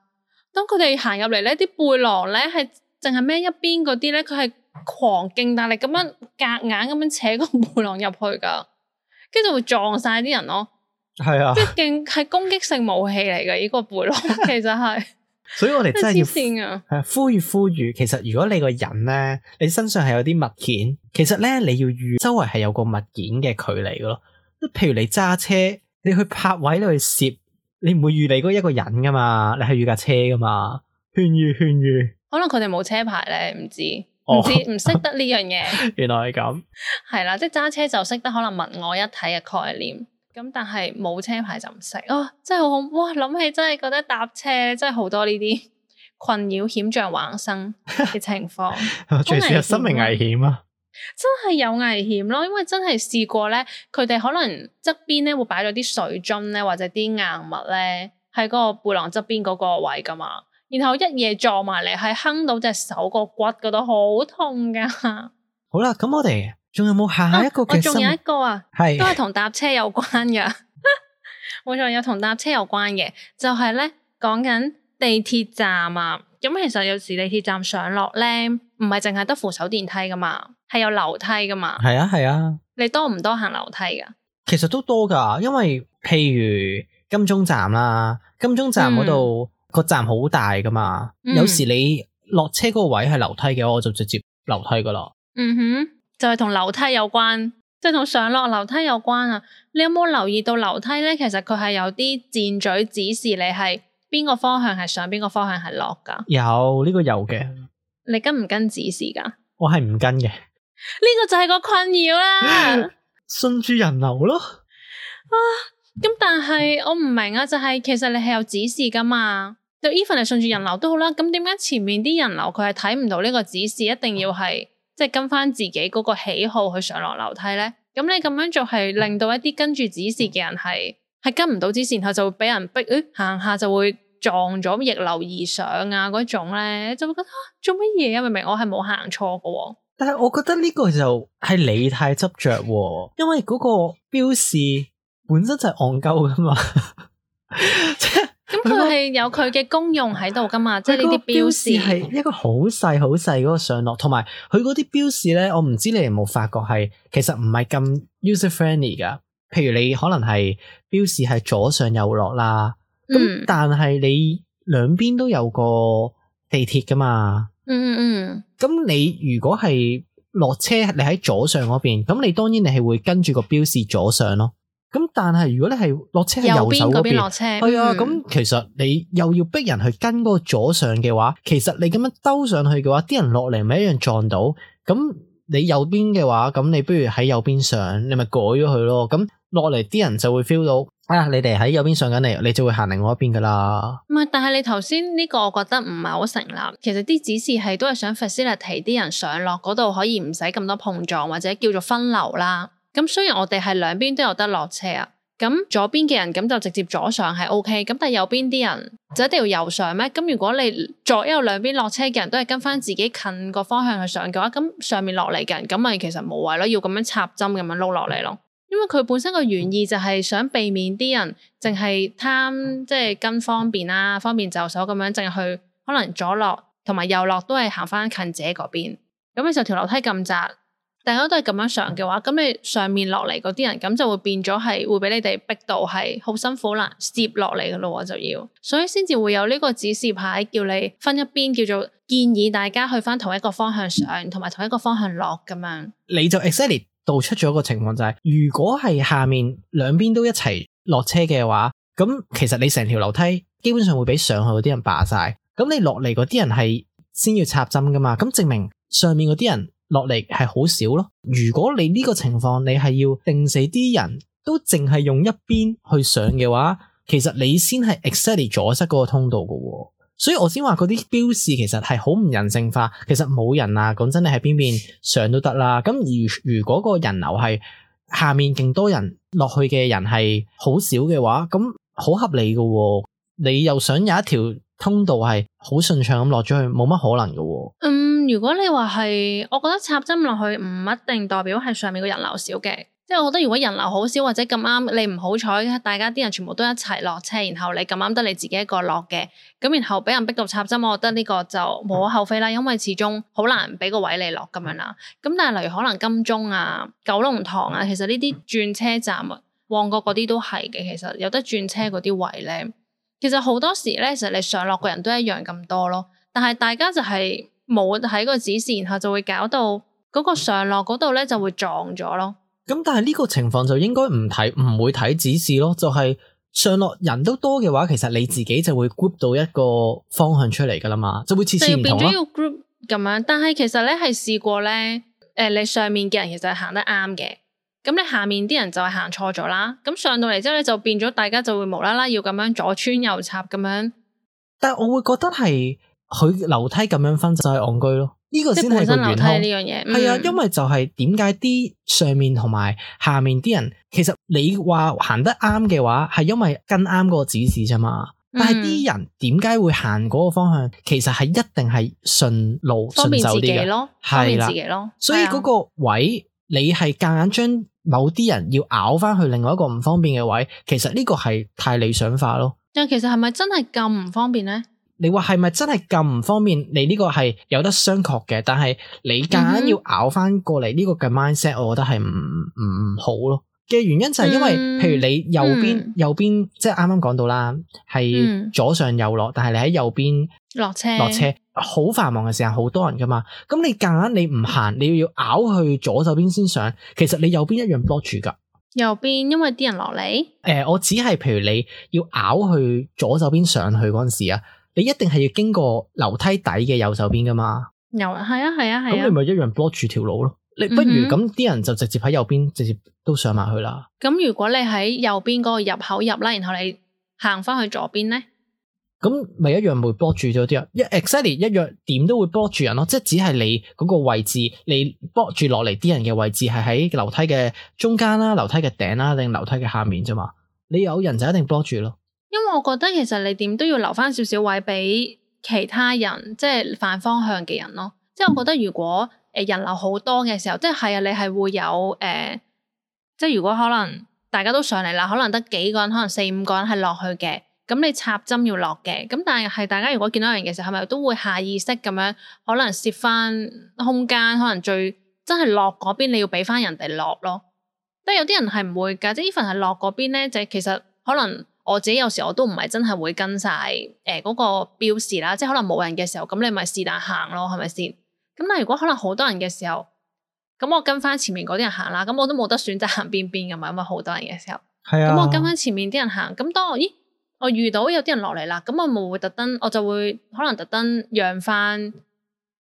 S1: 當佢哋行入嚟咧，啲背囊咧係淨係孭一邊嗰啲咧，佢係狂勁大力咁樣夾硬咁樣扯個背囊入去噶，跟住就會撞晒啲人咯。係啊，即係勁係攻擊性武器嚟嘅呢個背囊，其實係。
S2: 所以我哋真係要
S1: 係
S2: 呼籲。其實如果你個人咧，你身上係有啲物件，其實咧你要預周圍係有個物件嘅距離噶咯。譬如你揸車，你去泊位，你去攝，你唔會預你嗰一個人噶嘛，你係預架車噶嘛，勸喻。可能佢哋冇車牌咧，唔知唔識得呢樣嘢。原來係咁。係啦，即係揸車就識得可能物我一體嘅概念，咁但係冇車牌就唔識。真係好恐怖！哇，諗起真係覺得搭車真係好多呢啲困擾險象橫生嘅情況，隨時有生命危險啊！真係有危險咯，因為真係試過咧，佢哋可能側邊咧會擺咗啲水樽咧，或者啲硬物咧喺嗰個背囊側邊嗰個位噶嘛，然後一嘢撞埋嚟，係哼到隻手個骨嗰度，好痛噶。好啦，咁我哋仲有冇下一個嘅？仲有一個啊，係都係同搭車有關噶，冇錯，有同搭車有關嘅，就係咧講緊地鐵站啊。
S1: 咁其實有時地鐵站上落咧，唔係淨係得扶手電梯噶嘛，係有樓梯噶嘛。
S2: 係啊係啊，
S1: 你多唔多行樓梯噶？
S2: 其實都多噶，因為譬如金鐘站啦，金鐘站嗰度個站好大噶嘛，有時你落車嗰個位係樓梯嘅話，我就直接樓梯噶啦。
S1: 嗯哼，就係同樓梯有關，即係同上落樓梯有關啊！你有冇留意到樓梯咧？其實佢係有啲箭嘴指示你係邊個方向係上，邊個方向係落噶？
S2: 有呢個有嘅。
S1: 你跟唔跟指示噶？
S2: 我係唔跟嘅。
S1: 呢個就係個困擾啦。
S2: 順住人流咯。
S1: 咁但係我唔明啊，就係其實你係有指示噶嘛？就 even 係順住人流都好啦，咁點解前面啲人流佢係睇唔到呢個指示，一定要係即係跟翻自己嗰個喜好去上落樓梯咧？咁你咁樣做係令到一啲跟住指示嘅人係跟唔到指示，然後就會俾人逼，行下就會撞咗逆流而上啊嗰種咧，就會覺得做乜嘢啊？明明我係冇行錯噶。
S2: 但係我覺得呢個就係你太執着，因為嗰個標示本身就係戇鳩噶嘛。
S1: 咁佢係有佢嘅功用喺度噶嘛，即係呢啲標示
S2: 係一個好細好細嗰個上落，同埋佢嗰啲標示咧，我唔知你哋有冇發覺係其實唔係咁 user friendly 噶。譬如你可能係標示係左上右落啦，咁但係你兩邊都有個地鐵噶嘛。咁你如果係落車，你喺左上嗰邊，咁你當然你係會跟住個標示左上咯。咁但係如果你係落車喺右手嗰邊落車，係啊，咁其實你又要逼人去跟嗰個左上嘅話，其實你咁樣兜上去嘅話，啲人落嚟咪一樣撞到。咁你右邊嘅話，咁你不如喺右邊上，你咪改咗佢咯。咁落嚟啲人就會 feel 到，你哋喺右邊上緊嚟，你就會行另外一邊噶啦。唔係，
S1: 但係你頭先呢個我覺得唔係好成立。其實啲指示係都係想 facilitate 啲人上落嗰度可以唔使咁多碰撞，或者叫做分流啦。咁雖然我哋係兩邊都有得落車啊，咁左邊嘅人咁就直接左上係 OK，咁但係右邊啲人就一定要右上咩？咁如果你左右兩邊落車嘅人都係跟翻自己近個方向去上嘅話，咁上面落嚟嘅人咁咪其實無謂咯，要咁樣插針咁樣撈落嚟咯。因為佢本身個原意就係想避免啲人淨係貪即係跟方便啦，方便就手咁樣淨係去可能左落同埋右落都係行翻近自己嗰邊，咁你就條樓梯咁窄。大家都係咁樣上嘅話，咁你上面落嚟嗰啲人，咁就會變咗係會俾你哋逼到係好辛苦啦，攝落嚟嘅咯就要，所以先至會有呢個指示牌叫你分一邊，叫做建議大家去翻同一個方向上，同埋同一個方向落咁樣。
S2: 你就 exactly 導出咗一個情況就係，如果係下面兩邊都一齊落車嘅話，咁其實你成條樓梯基本上會俾上去嗰啲人霸晒，咁你落嚟嗰啲人係先要插針噶嘛，咁證明上面嗰啲人落嚟係好少咯。如果你呢個情況你係要定死啲人都淨係用一邊去上嘅話，其實你先係 exactly 阻塞嗰個通道㗎。所以我先話嗰啲標示其實係好唔人性化。其實冇人啊，講真，你喺邊邊上都得啦。咁如果個人流係下面勁多人落去嘅人係好少嘅話，咁好合理㗎。你又想有一條通道係好順暢咁落咗去，冇乜可能㗎。
S1: 如果你話係，我覺得插針落去唔一定代表係上面個人流少嘅，即係我覺得如果人流好少或者咁啱你唔好彩，大家啲人全部都一齊落車，然後你咁啱得你自己一個落嘅，咁然後俾人逼到插針，我覺得呢個就無可厚非啦，因為始終好難俾個位你落咁樣啦。咁但係例如可能金鐘啊、九龍塘啊，其實呢啲轉車站啊、旺角嗰啲都係嘅，其實有得轉車嗰啲位咧，其實好多時咧，其實你上落個人都一樣咁多咯，但係大家就係冇睇個指示，然後就會搞到嗰個上落嗰度咧就會撞咗咯。
S2: 咁但係呢個情況就應該唔會睇指示咯，就係上落人都多嘅話，其實你自己就會 group 到一個方向出嚟噶啦嘛，就會次次唔同咯。就變咗要 group
S1: 咁樣，但係其實咧係試過咧，你上面嘅人其實係行得啱嘅，咁你下面啲人就係行錯咗啦。咁上到嚟之後咧就變咗大家就會無啦啦要咁樣左穿右插咁樣。
S2: 但係我會覺得係佢樓梯咁樣分就係戇居咯，呢個先係個元兇。呢樣嘢係啊，因為就係點解啲上面同埋下面啲人，其實你話行得啱嘅話，係因為跟啱嗰個指示啫嘛。但係啲人點解會行嗰個方向？其實係一定係順路順手啲嘅咯，係啦，所以嗰個位你係夾硬將某啲人要拗翻去另外一個唔方便嘅位，其實呢個係太理想化咯。
S1: 但其實係咪真係咁唔方便咧？
S2: 你話係咪真係咁唔方便？你呢個係有得商榷嘅，但係你夾硬要咬翻過嚟呢個嘅 mindset，我覺得係唔好咯。嘅原因就係因為，譬如你右邊，即係啱啱講到啦，係左上右落，但係你喺右邊落車，好繁忙嘅時間，好多人噶嘛。咁你夾硬你唔行，你要咬去左手邊先上，其實你右邊一樣 block 住噶。
S1: 右邊因為啲人落嚟。
S2: 我只係譬如你要咬去左手邊上去嗰陣時啊，你一定係要經過樓梯底嘅右手邊噶嘛。係
S1: 啊。
S2: 咁你咪一樣 block 住條路咯。你不如咁啲人就直接喺右邊直接都上埋去啦。
S1: 咁如果你喺右邊嗰個入口入啦，然後你行翻去左邊咧，
S2: 咁咪一樣會 block 住咗啲人。exactly 一樣點都會 block 住人咯。即係只係你嗰個位置，你 block 住落嚟啲人嘅位置係喺樓梯嘅中間啦、樓梯嘅頂啦，定樓梯嘅下面啫嘛。你有人就一定 block 住咯。因
S1: 為我覺得其實你點都要留翻少少位俾其他人，即係反方向嘅人咯。即係我覺得如果人流好多嘅時候，即係你係會有即係如果可能大家都上嚟啦，可能得幾個人，可能4-5個人係落去嘅，咁你插針要落嘅，咁但係大家如果見到人嘅時候，係咪都會下意識咁樣可能攝翻空間，可能最真係落嗰邊你要俾翻人哋落咯。但係有啲人係唔會㗎，即係even係落嗰邊咧，就其實可能我自己有時我都唔係真係會跟晒嗰個標示啦，即係可能冇人嘅時候，咁你咪是但行咯，係咪先？咁但係如果可能好多人嘅時候，咁我跟翻前面嗰啲人行啦，咁我都冇得選擇行邊邊㗎嘛，因為好多人嘅時候。係啊。咁我跟翻前面啲人行，咁當我遇到有啲人落嚟啦，咁我咪會特登，我就會可能特登讓翻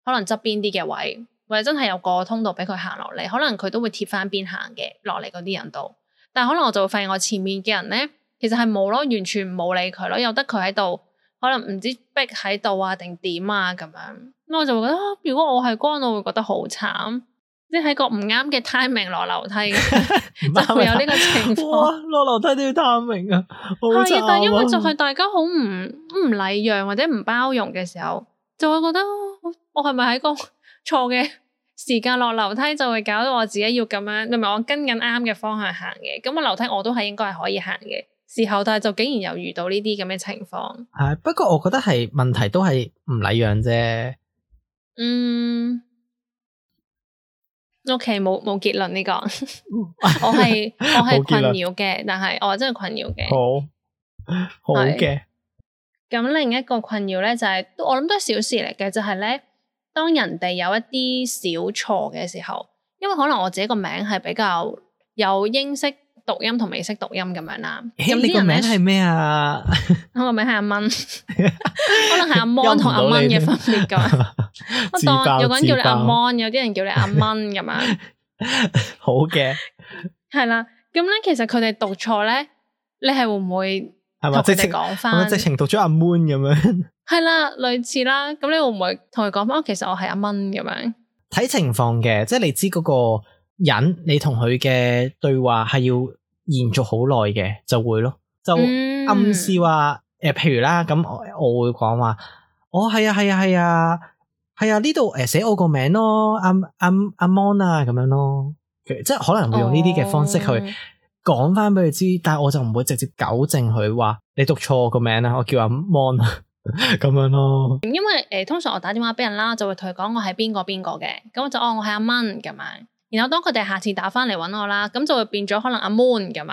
S1: 可能側邊啲嘅位，或者真係有個通道俾佢行落嚟，可能佢都會貼翻邊行嘅落嚟嗰啲人度。但係可能我就會發現我前面嘅人咧，其實係冇咯，完全冇理佢咯，由得佢喺度，可能唔知逼喺度啊定點啊咁樣。咁我就會覺得，如果我係光，我會覺得好慘，即係喺個唔啱嘅 timing 落樓梯嘅，就會有呢個情況。
S2: 落樓梯都要 timing 啊，
S1: 係啊，但係因為就係大家好唔禮讓或者唔包容嘅時候，就會覺得我係咪喺個錯嘅時間落樓梯，就會搞到我自己要咁樣，明明我跟緊啱嘅方向行嘅，咁個樓梯我都係應該係可以行嘅時候，但係就竟然又遇到呢啲咁嘅情況。
S2: 係，不過我覺得係問題都係唔禮讓啫。OK， 冇結論呢個，我係困擾嘅，但係我真係困擾嘅。好嘅。咁另一個困擾咧就係，我諗都係小事嚟嘅，就係咧，當人哋有一啲小錯嘅時候，因為可能我自己個名係比較有英式讀音同美式讀音咁樣啦。咁你個名係咩啊？
S1: 我個名係阿蚊，可能係阿 Mon 同阿蚊嘅分別咁。我當有個人叫你阿 Mon， 有啲人叫你阿蚊咁樣。
S2: 好嘅。係
S1: 啦，咁咧其實佢哋讀錯咧，你係會唔會同佢哋講翻？係咪
S2: 直情讀咗阿 Mon 咁樣？
S1: 係啦，類似啦。咁你會唔會同佢講翻？其實我係阿蚊咁樣。
S2: 睇情況嘅，即係你知嗰個人，你同佢嘅對話係要延續好耐嘅，就會咯，就暗示話譬如啦，咁我會講話，係啊，呢度寫我個名咯，阿 Mon 啊咁樣咯，即係可能會用呢啲嘅方式去講翻俾佢知，但係我就唔會直接糾正佢話你讀錯我個名啦，我叫阿 Mon 咁樣咯。因
S1: 為通常我打電話俾人啦，就會同佢講我係邊個嘅，咁我就我係阿蚊咁樣。然後當佢哋下次打翻嚟揾我啦，咁就會變咗可能阿 Moon 咁樣。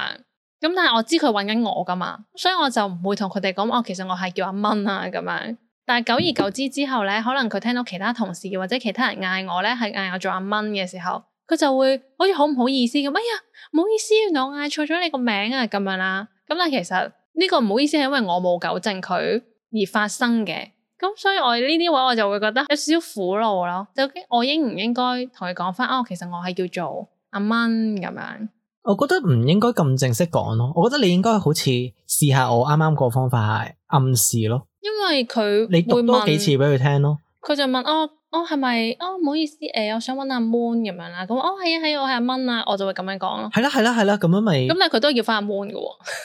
S1: 咁但係我知佢揾緊我噶嘛，所以我就唔會同佢哋講其實我係叫阿蚊啊咁樣。但係久而久之之後咧，可能佢聽到其他同事或者其他人嗌我咧，係嗌我做阿蚊嘅時候，佢就會好似好唔好意思咁。哎呀，唔好意思，原來我嗌錯咗你個名啊咁樣啦。咁但係其實呢個唔好意思係因為我冇糾正佢而發生嘅。咁所以我呢啲位我就會覺得有少少苦惱咯。究竟我應唔應該同佢講翻其實我係叫做阿蚊咁樣？
S2: 我覺得唔應該咁正式講咯。我覺得你應該好似試下我啱啱個方法係暗示咯。
S1: 因為佢
S2: 你讀多幾次俾佢聽咯。佢
S1: 就問係咪唔好意思我想揾阿 Moon 咁樣啦。咁係啊我係阿蚊啊，我就會咁樣講咯。
S2: 係啦咁樣咪。
S1: 咁但係佢都要翻阿 Moon 嘅。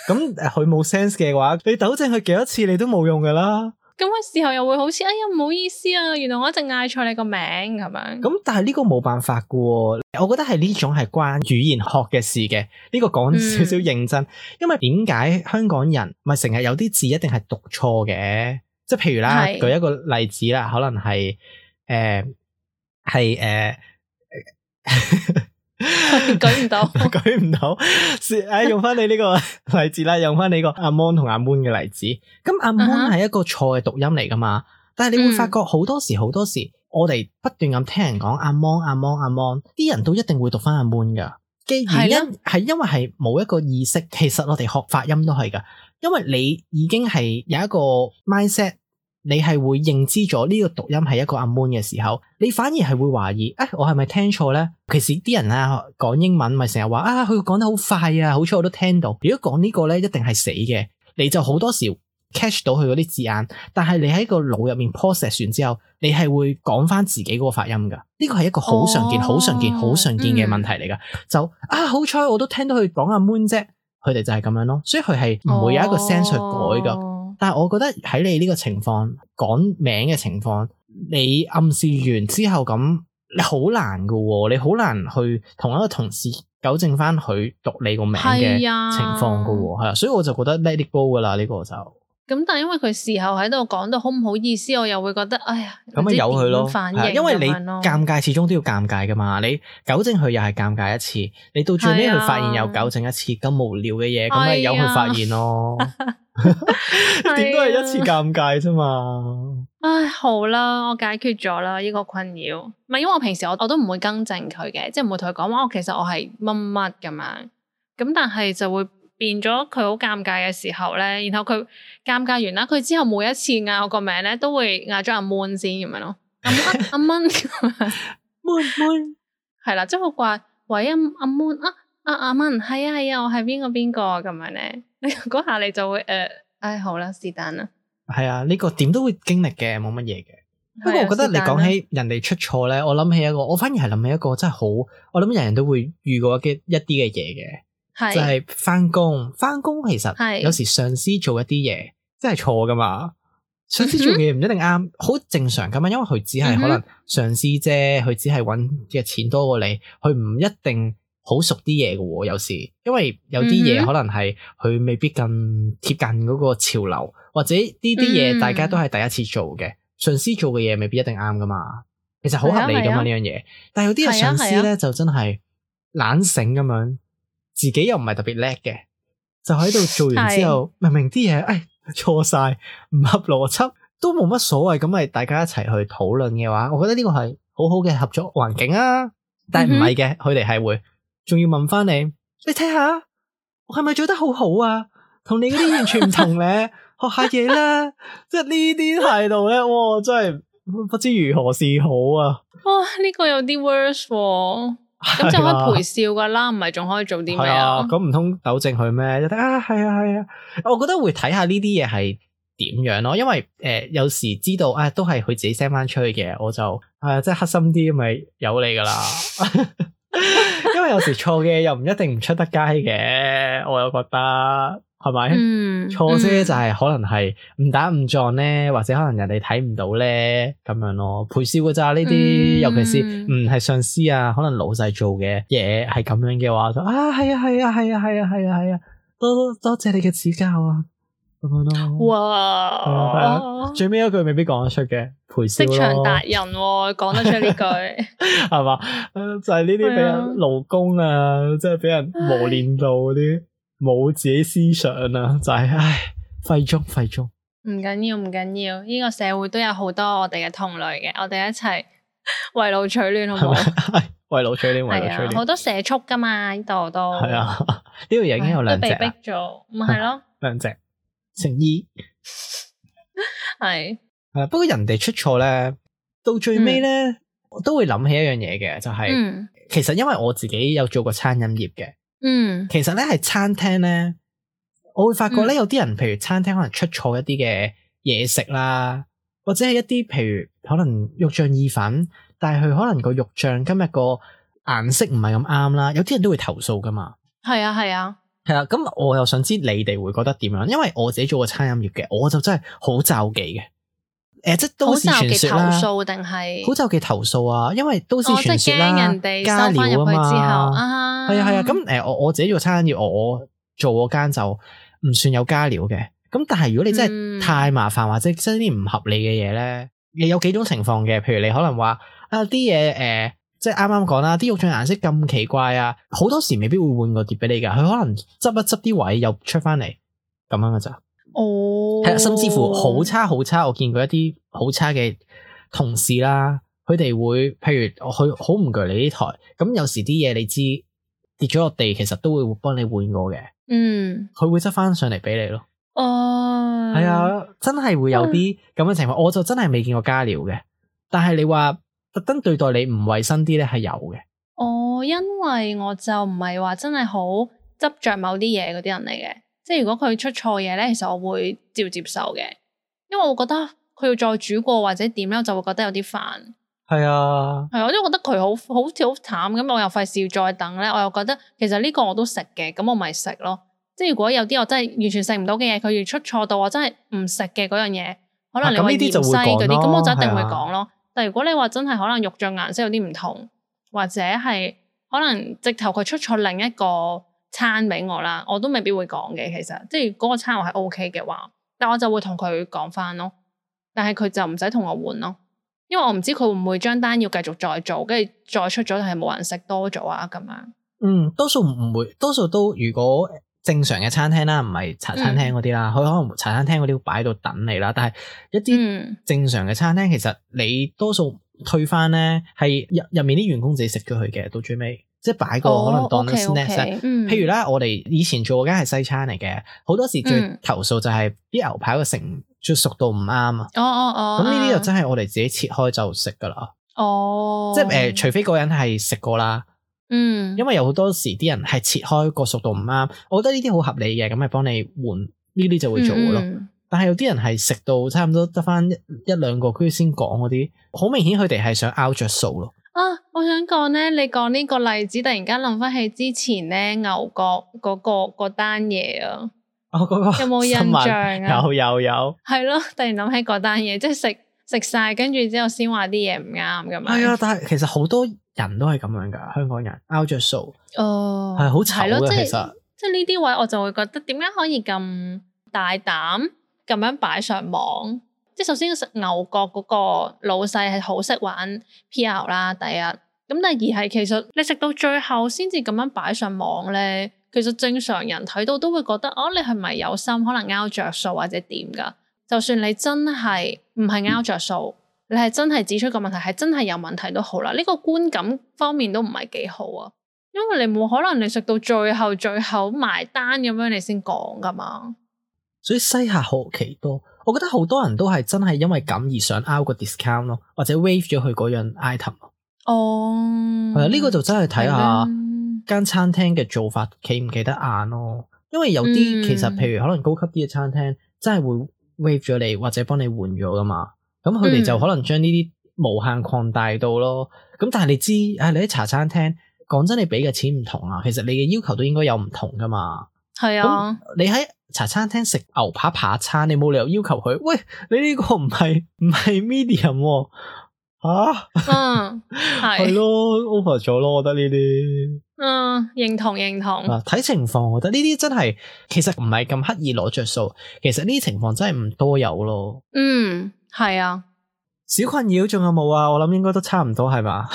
S2: 咁佢冇 sense 嘅話，你糾正佢幾多次你都冇用噶啦。
S1: 咁嘅時候又會好似唔好意思啊，原來我一直嗌錯你個名咁樣。
S2: 咁但係呢個冇辦法噶，我覺得係呢種係關語言學嘅事嘅。呢個講少少認真，因為點解香港人咪成日有啲字一定係讀錯嘅？即係譬如啦，
S1: 係
S2: 舉一個例子啦，可能係
S1: 舉唔到，
S2: 舉唔到，用翻你呢個例子啦，用翻你個阿 Mon 同阿 Moon 嘅例子。咁阿 Moon 係一個錯嘅讀音嚟噶嘛，但係你會發覺好多時，我哋不斷咁聽人講阿 Mon，啲人都一定會讀翻阿 Moon 噶。嘅原因係因為係冇一個意識，其實我哋學發音都係噶，因為你已經係有一個 mindset。你係會認知咗呢個讀音係一個阿 Moon 嘅時候，你反而係會懷疑，我係咪聽錯咧？其實啲人啊講英文咪成日話佢講得好快啊，好彩我都聽到。如果講呢個咧，一定係死嘅，你就好多時 catch 到佢嗰啲字眼，但係你喺個腦入面 process 完之後，你係會講翻自己嗰個發音噶。呢個係一個好常見、好常見嘅問題嚟噶。就好彩我都聽到佢講阿 Moon 啫，佢哋就係咁樣咯，所以佢係唔會有一個 sense 去改噶。但係我覺得喺你呢個情況講名嘅情況，你暗示完之後咁，你好難噶喎，你好難去同一個同事糾正翻佢讀你個名嘅情況噶喎，係啊，所以我就覺得 let it go 噶啦，呢個就
S1: 咁。但係因為佢事後喺度講到好唔好意思，我又會覺得哎呀，
S2: 咁咪由佢咯，因為你
S1: 尷
S2: 尬始終都要尷尬噶嘛，你糾正佢又係尷尬一次，你到最尾佢發現又糾正一次，咁無聊嘅嘢，咁咪由佢發現咯。點都係一次尷尬啫嘛。
S1: 唉，好啦，我解決咗啦呢個困擾。唔係因為我平時我都唔會更正佢嘅，即係唔會同佢講話，其實我係乜乜咁樣。咁但係就會變咗佢好尷尬嘅時候咧，然後佢尷尬完啦，佢之後每一次嗌我個名咧，都會嗌咗阿 Moon 先咁樣咯。阿 Moon Moon 係啦，即係好怪。喂，阿 Moon 阿 Moon 係啊，我係邊個咁樣咧？嗰下你就會好啦，是但啦。係
S2: 啊，呢個點都會經歷嘅，冇乜嘢嘅。不過我覺得你講起人哋出錯咧，我諗起一個，我反而係諗起一個真係好，我諗人人都會遇過嘅一啲嘅嘢嘅，就係翻工其實有時上司做一啲嘢真係錯噶嘛。上司做嘅嘢唔一定啱，好正常噶嘛，因為佢只係可能上司啫，佢只係搵嘅錢多過你，佢唔一定好熟啲嘢嘅喎，有時因為有啲嘢可能係佢未必咁貼近嗰個潮流，或者呢啲嘢大家都係第一次做嘅，上司做嘅嘢未必一定啱噶嘛，其實好合理噶嘛呢樣嘢。但係有啲嘅上司咧就真係懶醒咁樣，自己又唔係特別叻嘅，就喺度做完之後，明明啲嘢錯晒，唔合邏輯，都冇乜所謂，咁咪大家一齊去討論嘅話，我覺得呢個係好好嘅合作環境啊。但係唔係嘅，佢哋係會仲要問翻你睇下我係咪做得好好啊？同你嗰啲完全唔同咧，學下嘢啦。即係呢啲態度咧，哇，真係不知如何是好啊！
S1: 哇，呢個有啲 worse 喎。咁就可以陪笑噶啦，唔係仲可以做啲咩啊？
S2: 咁唔通糾正佢咩？係啊，我覺得會睇下呢啲嘢係點樣咯，因為有時知道都係佢自己 send 翻出去嘅，我就即係黑心啲咪由你噶啦。因為有時錯嘅又唔一定唔出得街嘅，我又覺得係咪？錯啫就係可能係誤打誤撞咧，或者可能人哋睇唔到咧咁樣咯，陪笑噶咋呢啲，尤其是唔係上司啊，可能老細做嘅嘢係咁樣嘅話，就係啊，多謝你嘅指教啊，咁樣咯。哇！最尾一句未必講得出嘅，陪笑咯。職場達人講得出呢句係嘛？就係呢啲俾人勞工啊，即係俾人磨練到嗰啲。冇自己思想啊，就係廢中。
S1: 唔緊要，呢個社會都有好多我哋嘅同類嘅，我哋一齊圍爐取暖，好唔好？圍爐取暖，好多社畜噶嘛，呢度都係啊，呢度已經有兩隻，都被逼咗，咪係咯，兩隻成衣係不過人哋出錯咧，到最尾咧，我都會諗起一樣嘢嘅，就係其實因為我自己有做過餐飲業嘅。其實咧係餐廳咧，我會發覺咧有啲人，譬如餐廳可能出錯一啲嘅嘢食啦，或者係一啲譬如可能肉醬意粉，但係佢可能個肉醬今日個顏色唔係咁啱啦，有啲人都會投訴噶嘛。係啊，咁我又想知你哋會覺得點樣？因為我自己做過餐飲業嘅，我就真係好罩忌嘅。即係都市傳說啦，好就忌投訴定係好就忌投訴啊，因為都市傳說啦，人哋加料啊嘛，係啊，咁我自己做餐飲業，我做嗰間就唔算有加料嘅，
S2: 咁但係如果你真係太麻煩或者真係啲唔合理嘅嘢咧，你有幾種情況嘅，譬如你可能話啊啲嘢即係啱啱講啦，啲肉醬顏色咁奇怪啊，好多時未必會換個碟俾你噶，佢可能執一執啲位又出翻嚟咁樣噶咋。
S1: 哦，
S2: 係啊，甚至乎好差，我見過一啲好差嘅同事啦，佢哋會譬如佢好唔鋸你呢台，咁有時啲嘢你知跌咗落地，其實都會幫你換過嘅。佢會執翻上嚟俾你咯。
S1: 哦，
S2: 係啊，真係會有啲咁嘅情況，我就真係未見過加料嘅。但係你話特登對待你唔衛生啲咧，係有嘅。
S1: 因為我就唔係話真係好執着某啲嘢嗰啲人嚟嘅，即係如果佢出錯嘢咧，其實我會照接受嘅，因為我覺得佢要再煮過或者點咧，我就會覺得有啲煩。
S2: 係啊，
S1: 係，我都覺得佢好似好淡咁，我又費事要再等咧，我又覺得其實呢個我都食嘅，咁我咪食咯。即係如果有啲我真係完全食唔到嘅嘢，佢要出錯到我真係唔食嘅嗰樣嘢，可能你話芫茜嗰啲，咁我就一定會講咯。但如果你話真係可能肉醬顏色有啲唔同，或者係可能直頭佢出錯另一個餐俾我啦，我都未必會講嘅。其實即係嗰個餐我係 OK 嘅話，但我就會同佢講翻咯。但係佢就唔使同我換咯，因為我唔知佢會唔會將單要繼續再做，跟住再出咗係冇人食多咗啊咁樣。
S2: 多數唔會，多數都如果正常嘅餐廳啦，唔係茶餐廳嗰啲啦，佢可能茶餐廳嗰啲會擺喺度等你啦。但係一啲正常嘅餐廳，其實你多數退翻咧，係入面啲員工自己食咗佢嘅，到最尾即係擺個可能當 snack。譬如啦，我哋以前做嗰間係西餐嚟嘅，好多時最投訴就係啲牛排個成就熟到唔啱啊。咁呢啲就真係我哋自己切開就食噶啦。即係除非嗰人係食過啦。因為有好多時啲人係切開個熟度唔啱，我覺得呢啲好合理嘅，咁咪幫你換呢啲就會做咯。但係有啲人係食到差唔多得翻一兩個，跟住先講嗰啲，好明顯佢哋係想拗着數咯。
S1: 我想講咧，你講呢個例子，突然間諗翻起之前咧牛角嗰單嘢啊。有冇印象啊？
S2: 有。係
S1: 咯，突然諗起嗰單嘢，即係食晒，跟住之後先話啲嘢唔啱咁樣。係
S2: 啊，但係其實好多人都係咁樣噶，香港人拗着數，係好醜嘅。其實
S1: 即係呢啲位，我就會覺得點解可以咁大膽咁樣擺上網？即係首先牛角嗰個老細係好識玩 PR 啦，第一。咁第二係其實你食到最後先至咁樣擺上網咧，其實正常人睇到都會覺得你係咪有心可能拗着數或者點噶？就算你真係唔係拗着數，你係真係指出個問題係真係有問題都好啦，呢個觀感方面都唔係幾好啊，因為你冇可能你食到最後埋單咁樣你先講噶嘛。
S2: 所以西客好奇多，我覺得好多人都係真係因為咁而想拗個 discount 咯，或者 waive 咗佢嗰樣 item 咯。係啊，呢個就真係睇下間餐廳嘅做法企唔企得硬咯。因為有啲其實譬如可能高級啲嘅餐廳真係會 waive 咗你或者幫你換咗噶嘛，咁佢哋就可能將呢啲無限擴大到咯。咁但係你知你喺茶餐廳講真，你俾嘅錢唔同啊，其實你嘅要求都應該有唔同噶嘛。係啊，你喺茶餐廳食牛扒扒餐，你冇理由要求佢，喂，你呢個唔係 medium 喎。係咯 over 咗咯，我覺得呢啲
S1: 認同
S2: 睇情況，我覺得呢啲真係其實唔係咁刻意攞着數，其實呢啲情況真係唔多有咯。
S1: 係啊，
S2: 小困擾仲有冇啊？我諗應該都差唔多係嘛。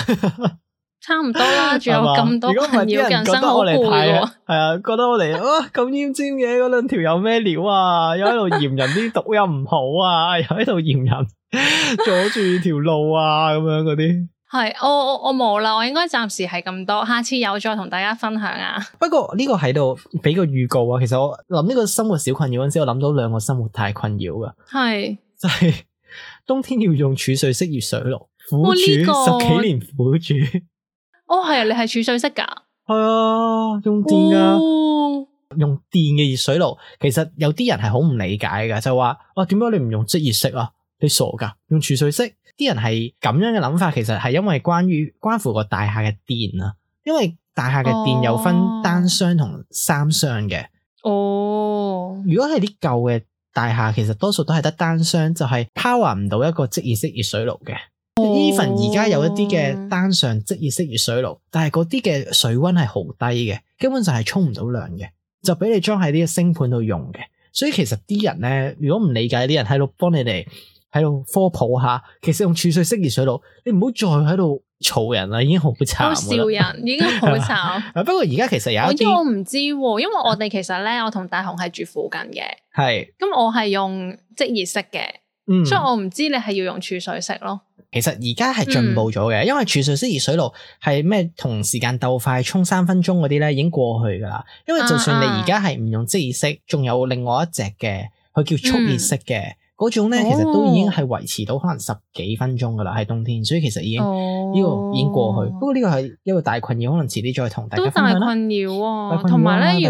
S1: 差唔多啦，仲有咁多困擾，人生好攰喎。
S2: 係啊，覺得我哋咁奄尖嘅嗰兩條有咩料啊？又喺度嫌人啲讀音唔好啊，又喺度嫌人阻住條路啊，咁樣嗰啲。係，
S1: 我冇啦，我應該暫時係咁多，下次有再同大家分享啊。
S2: 不過呢個喺度俾個預告啊，其實我諗呢個生活小困擾嗰陣時，我諗到兩個生活大困擾噶。係，就係冬天要用儲水式熱水爐，苦煮10幾年苦煮。
S1: 係啊，你係儲水式噶？
S2: 係啊，用電噶，用電嘅熱水爐。其實有啲人係好唔理解噶，就話點解你唔用即熱式啊？你傻噶？用儲水式？啲人係咁樣嘅諗法，其實係因為關乎個大廈嘅電啊。因為大廈嘅電有分單箱同三箱嘅。如果係啲舊嘅大廈，其實多數都係得單箱，就係 power 唔到一個即熱式熱水爐嘅。even 而家有一啲嘅單上即熱式熱水爐，但係嗰啲嘅水溫係好低嘅，根本就係沖唔到涼嘅，就俾你裝喺啲星盤度用嘅。所以其實啲人咧，如果唔理解啲人喺度幫你哋喺度科普下，其實用儲水式熱水爐，你唔好再喺度嘈人啦，已經好慘啦。
S1: 笑人已經好慘。
S2: 不過而家其實有一啲，
S1: 我唔知喎，因為我哋其實咧，我同大雄係住附近嘅，
S2: 係
S1: 咁我係用即熱式嘅，所以我唔知你係要用儲水式咯。
S2: 其實而家係進步咗嘅，因為儲水式熱水爐係咩同時間鬥快沖3分鐘嗰啲咧已經過去噶啦。因為就算你而家係唔用即熱式，仲有另外一隻嘅，佢叫速熱式嘅嗰種咧，其實都已經係維持到可能10幾分鐘噶啦，喺冬天，所以其實已經呢個已經過去。不過呢個係一個大困擾，可能遲啲再同大家分享啦。
S1: 都大困擾喎，同埋咧，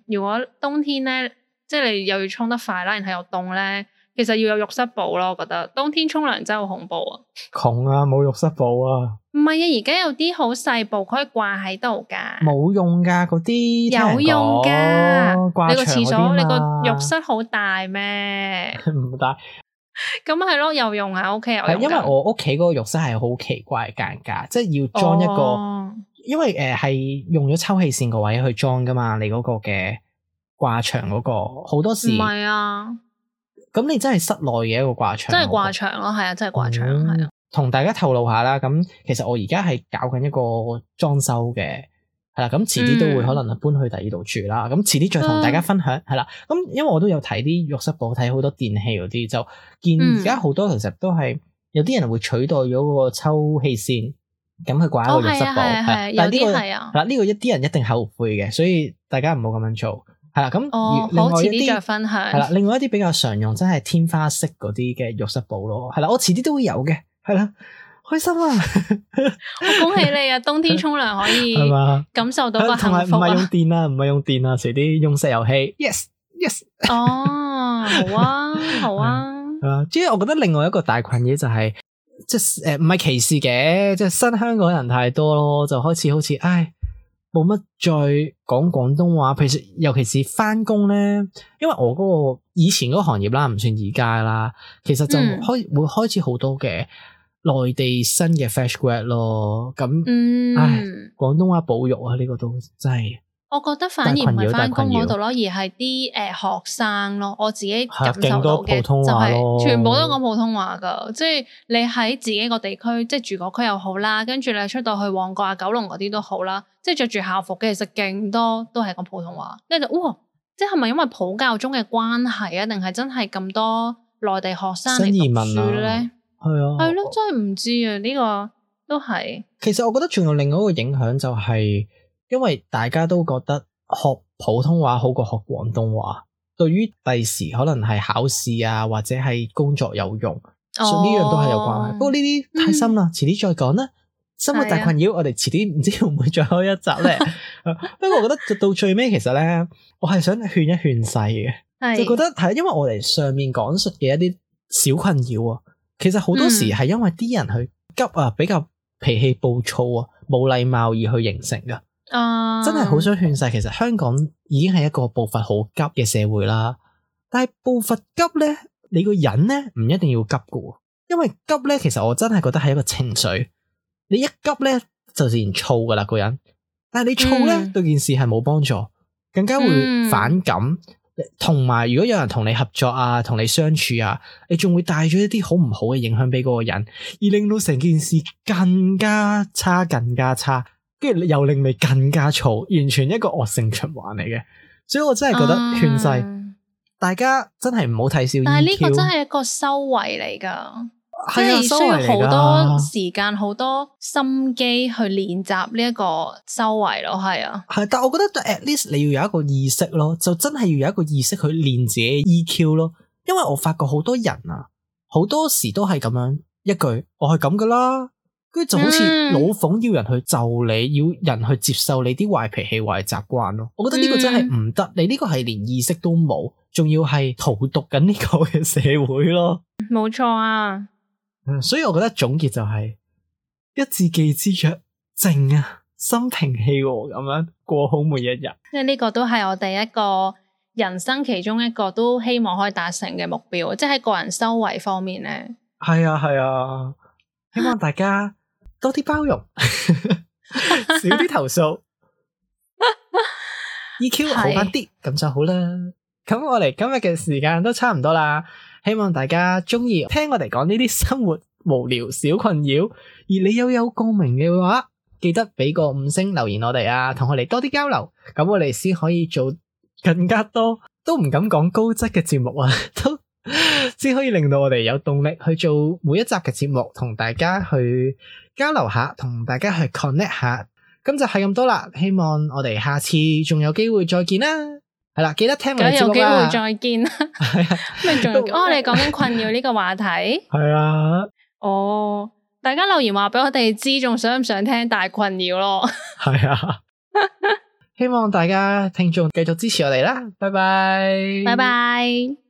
S1: 如果冬天咧，即係你又要沖得快啦，然後又凍咧。其實要有浴室寶咯，我覺得冬天沖涼真係好恐怖啊！
S2: 窮啊，冇浴室寶啊！
S1: 唔係啊，而家有啲好細部可以掛喺度噶，
S2: 冇用噶嗰啲，
S1: 有用噶。你個廁所，你個浴室好大咩？
S2: 唔大。
S1: 咁係咯，有用啊 ，OK 有用。
S2: 係因為我屋企嗰個浴室係好奇怪嘅間隔，即係要裝一個，因為係用咗抽氣扇個位去裝噶嘛，你嗰個嘅掛牆嗰個好多時
S1: 唔係啊。
S2: 咁你真係室內嘅一個掛牆，
S1: 真係掛牆咯，係啊，真係掛牆，係啊。
S2: 同大家透露下啦，咁其實我而家係搞緊一個裝修嘅，係啦，咁遲啲都會可能搬去第二度住啦，咁遲啲再同大家分享，係啦。咁因為我都有睇啲浴室寶，睇好多電器嗰啲，就見而家好多其實都係有啲人會取代咗嗰個抽氣扇，咁去掛一個浴室寶，
S1: 係有啲係啊。
S2: 嗱呢個一啲人一定後悔嘅，所以大家唔好咁樣做。係啦，咁
S1: 好遲啲再分享。
S2: 係啦，另外一啲比較常用，真係天花式嗰啲嘅浴室寶咯。係啦，我遲啲都會有嘅。係啦，開心啊！
S1: 我恭喜你啊！冬天沖涼可以感受到個幸福啊！
S2: 唔係用電啊，唔係用電啊，遲啲用石油氣。Yes。
S1: 哦，好啊，好啊。
S2: 即係我覺得另外一個大困擾就係，即係唔係歧視嘅，即係新香港人太多咯，就開始好似冇乜再講廣東話，尤其是返工咧，因為我嗰個以前嗰個行業啦，唔算而家啦，其實就會開始好多嘅內地新嘅 fresh grad 咯，咁廣東話保育啊，呢個都真係。我
S1: 覺得反而唔係返工嗰度咯，而係啲學生咯，我自己感受到嘅就係全部都講普通話噶，即係你喺自己個地區，即係住嗰區又好啦，跟住你出到去旺角啊、九龍嗰啲都好啦，即係着住校服嘅，其實勁多都係講普通話，跟住哇，即係咪因為普教中嘅關係啊，定係真係咁多內地學生嚟讀書咧？係啊，係咯，真係唔知啊，呢個都係。其實我覺得仲有另外一個影響就係。因為大家都覺得學普通話好過學廣東話，對於第時可能係考試啊或者係工作有用，所以呢樣都係有關係。不過呢啲太深啦，遲啲再講啦。生活大困擾，我哋遲啲唔知會唔會再開一集咧。不過我覺得到最尾其實咧，我係想勸一勸世嘅，就覺得係因為我哋上面講述嘅一啲小困擾啊，其實好多時係因為啲人去急啊，比較脾氣暴躁啊，冇禮貌而去形成噶。真係好想勸世，其實香港已經係一個步伐好急嘅社會啦。但係步伐急咧，你個人咧唔一定要急㗎，因為急咧，其實我真係覺得係一個情緒。你一急咧就自然燥噶啦個人，但係你燥咧對件事係冇幫助，更加會反感。同埋如果有人同你合作啊，同你相處啊，你仲會帶咗一啲好唔好嘅影響俾嗰個人，而令到成件事更加差，跟住又令你更加燥，完全一個惡性循環嚟嘅，所以我真係覺得勸世，大家真係唔好睇小 EQ。但係呢個真係一個修為嚟噶，即係需要好多時間、好多心機去練習呢一個修為咯，係啊。係，但係我覺得 at least 你要有一個意識咯，就真係要有一個意識去練自己 EQ 咯，因為我發覺好多人啊，好多時都係咁樣一句，我係咁噶啦。跟住就好似老馮要人去就你，要人去接受你啲壞脾氣、壞習慣咯。我覺得呢個真係唔得，你呢個係連意識都冇，仲要係荼毒緊呢個嘅社會咯。冇錯啊，所以我覺得總結就係一字記之曰靜啊，心平氣和咁樣過好每一日。即係呢個都係我哋一個人生其中一個都希望可以達成嘅目標，即係喺個人修為方面咧。係啊係啊，希望大家多啲包容，少啲投訴，EQ 好翻啲，咁就好啦。
S2: 咁我哋今日嘅時間都差唔多啦，希望大家中意聽我哋講呢啲生活無聊小困擾，而你又有共鳴嘅話，記得俾個5星留言我哋啊，同我哋多啲交流，咁我哋先可以做更加多，都唔敢講高質嘅節目啊，都先可以令到我哋有動力去做每一集嘅節目，同大家去交流下，同大家去 connect 下。咁就係咁多啦，希望我哋下次仲有機會再見啦。係啦，記得聽我哋節目啦。
S1: 有機會再見啦。
S2: 係啊，
S1: 咩仲有？你講緊困擾呢個話題。
S2: 係啊。
S1: 哦，大家留言話俾我哋知，仲想唔想聽大困擾咯？
S2: 係啊。希望大家聽眾繼續支持我哋啦，拜拜。
S1: 拜拜。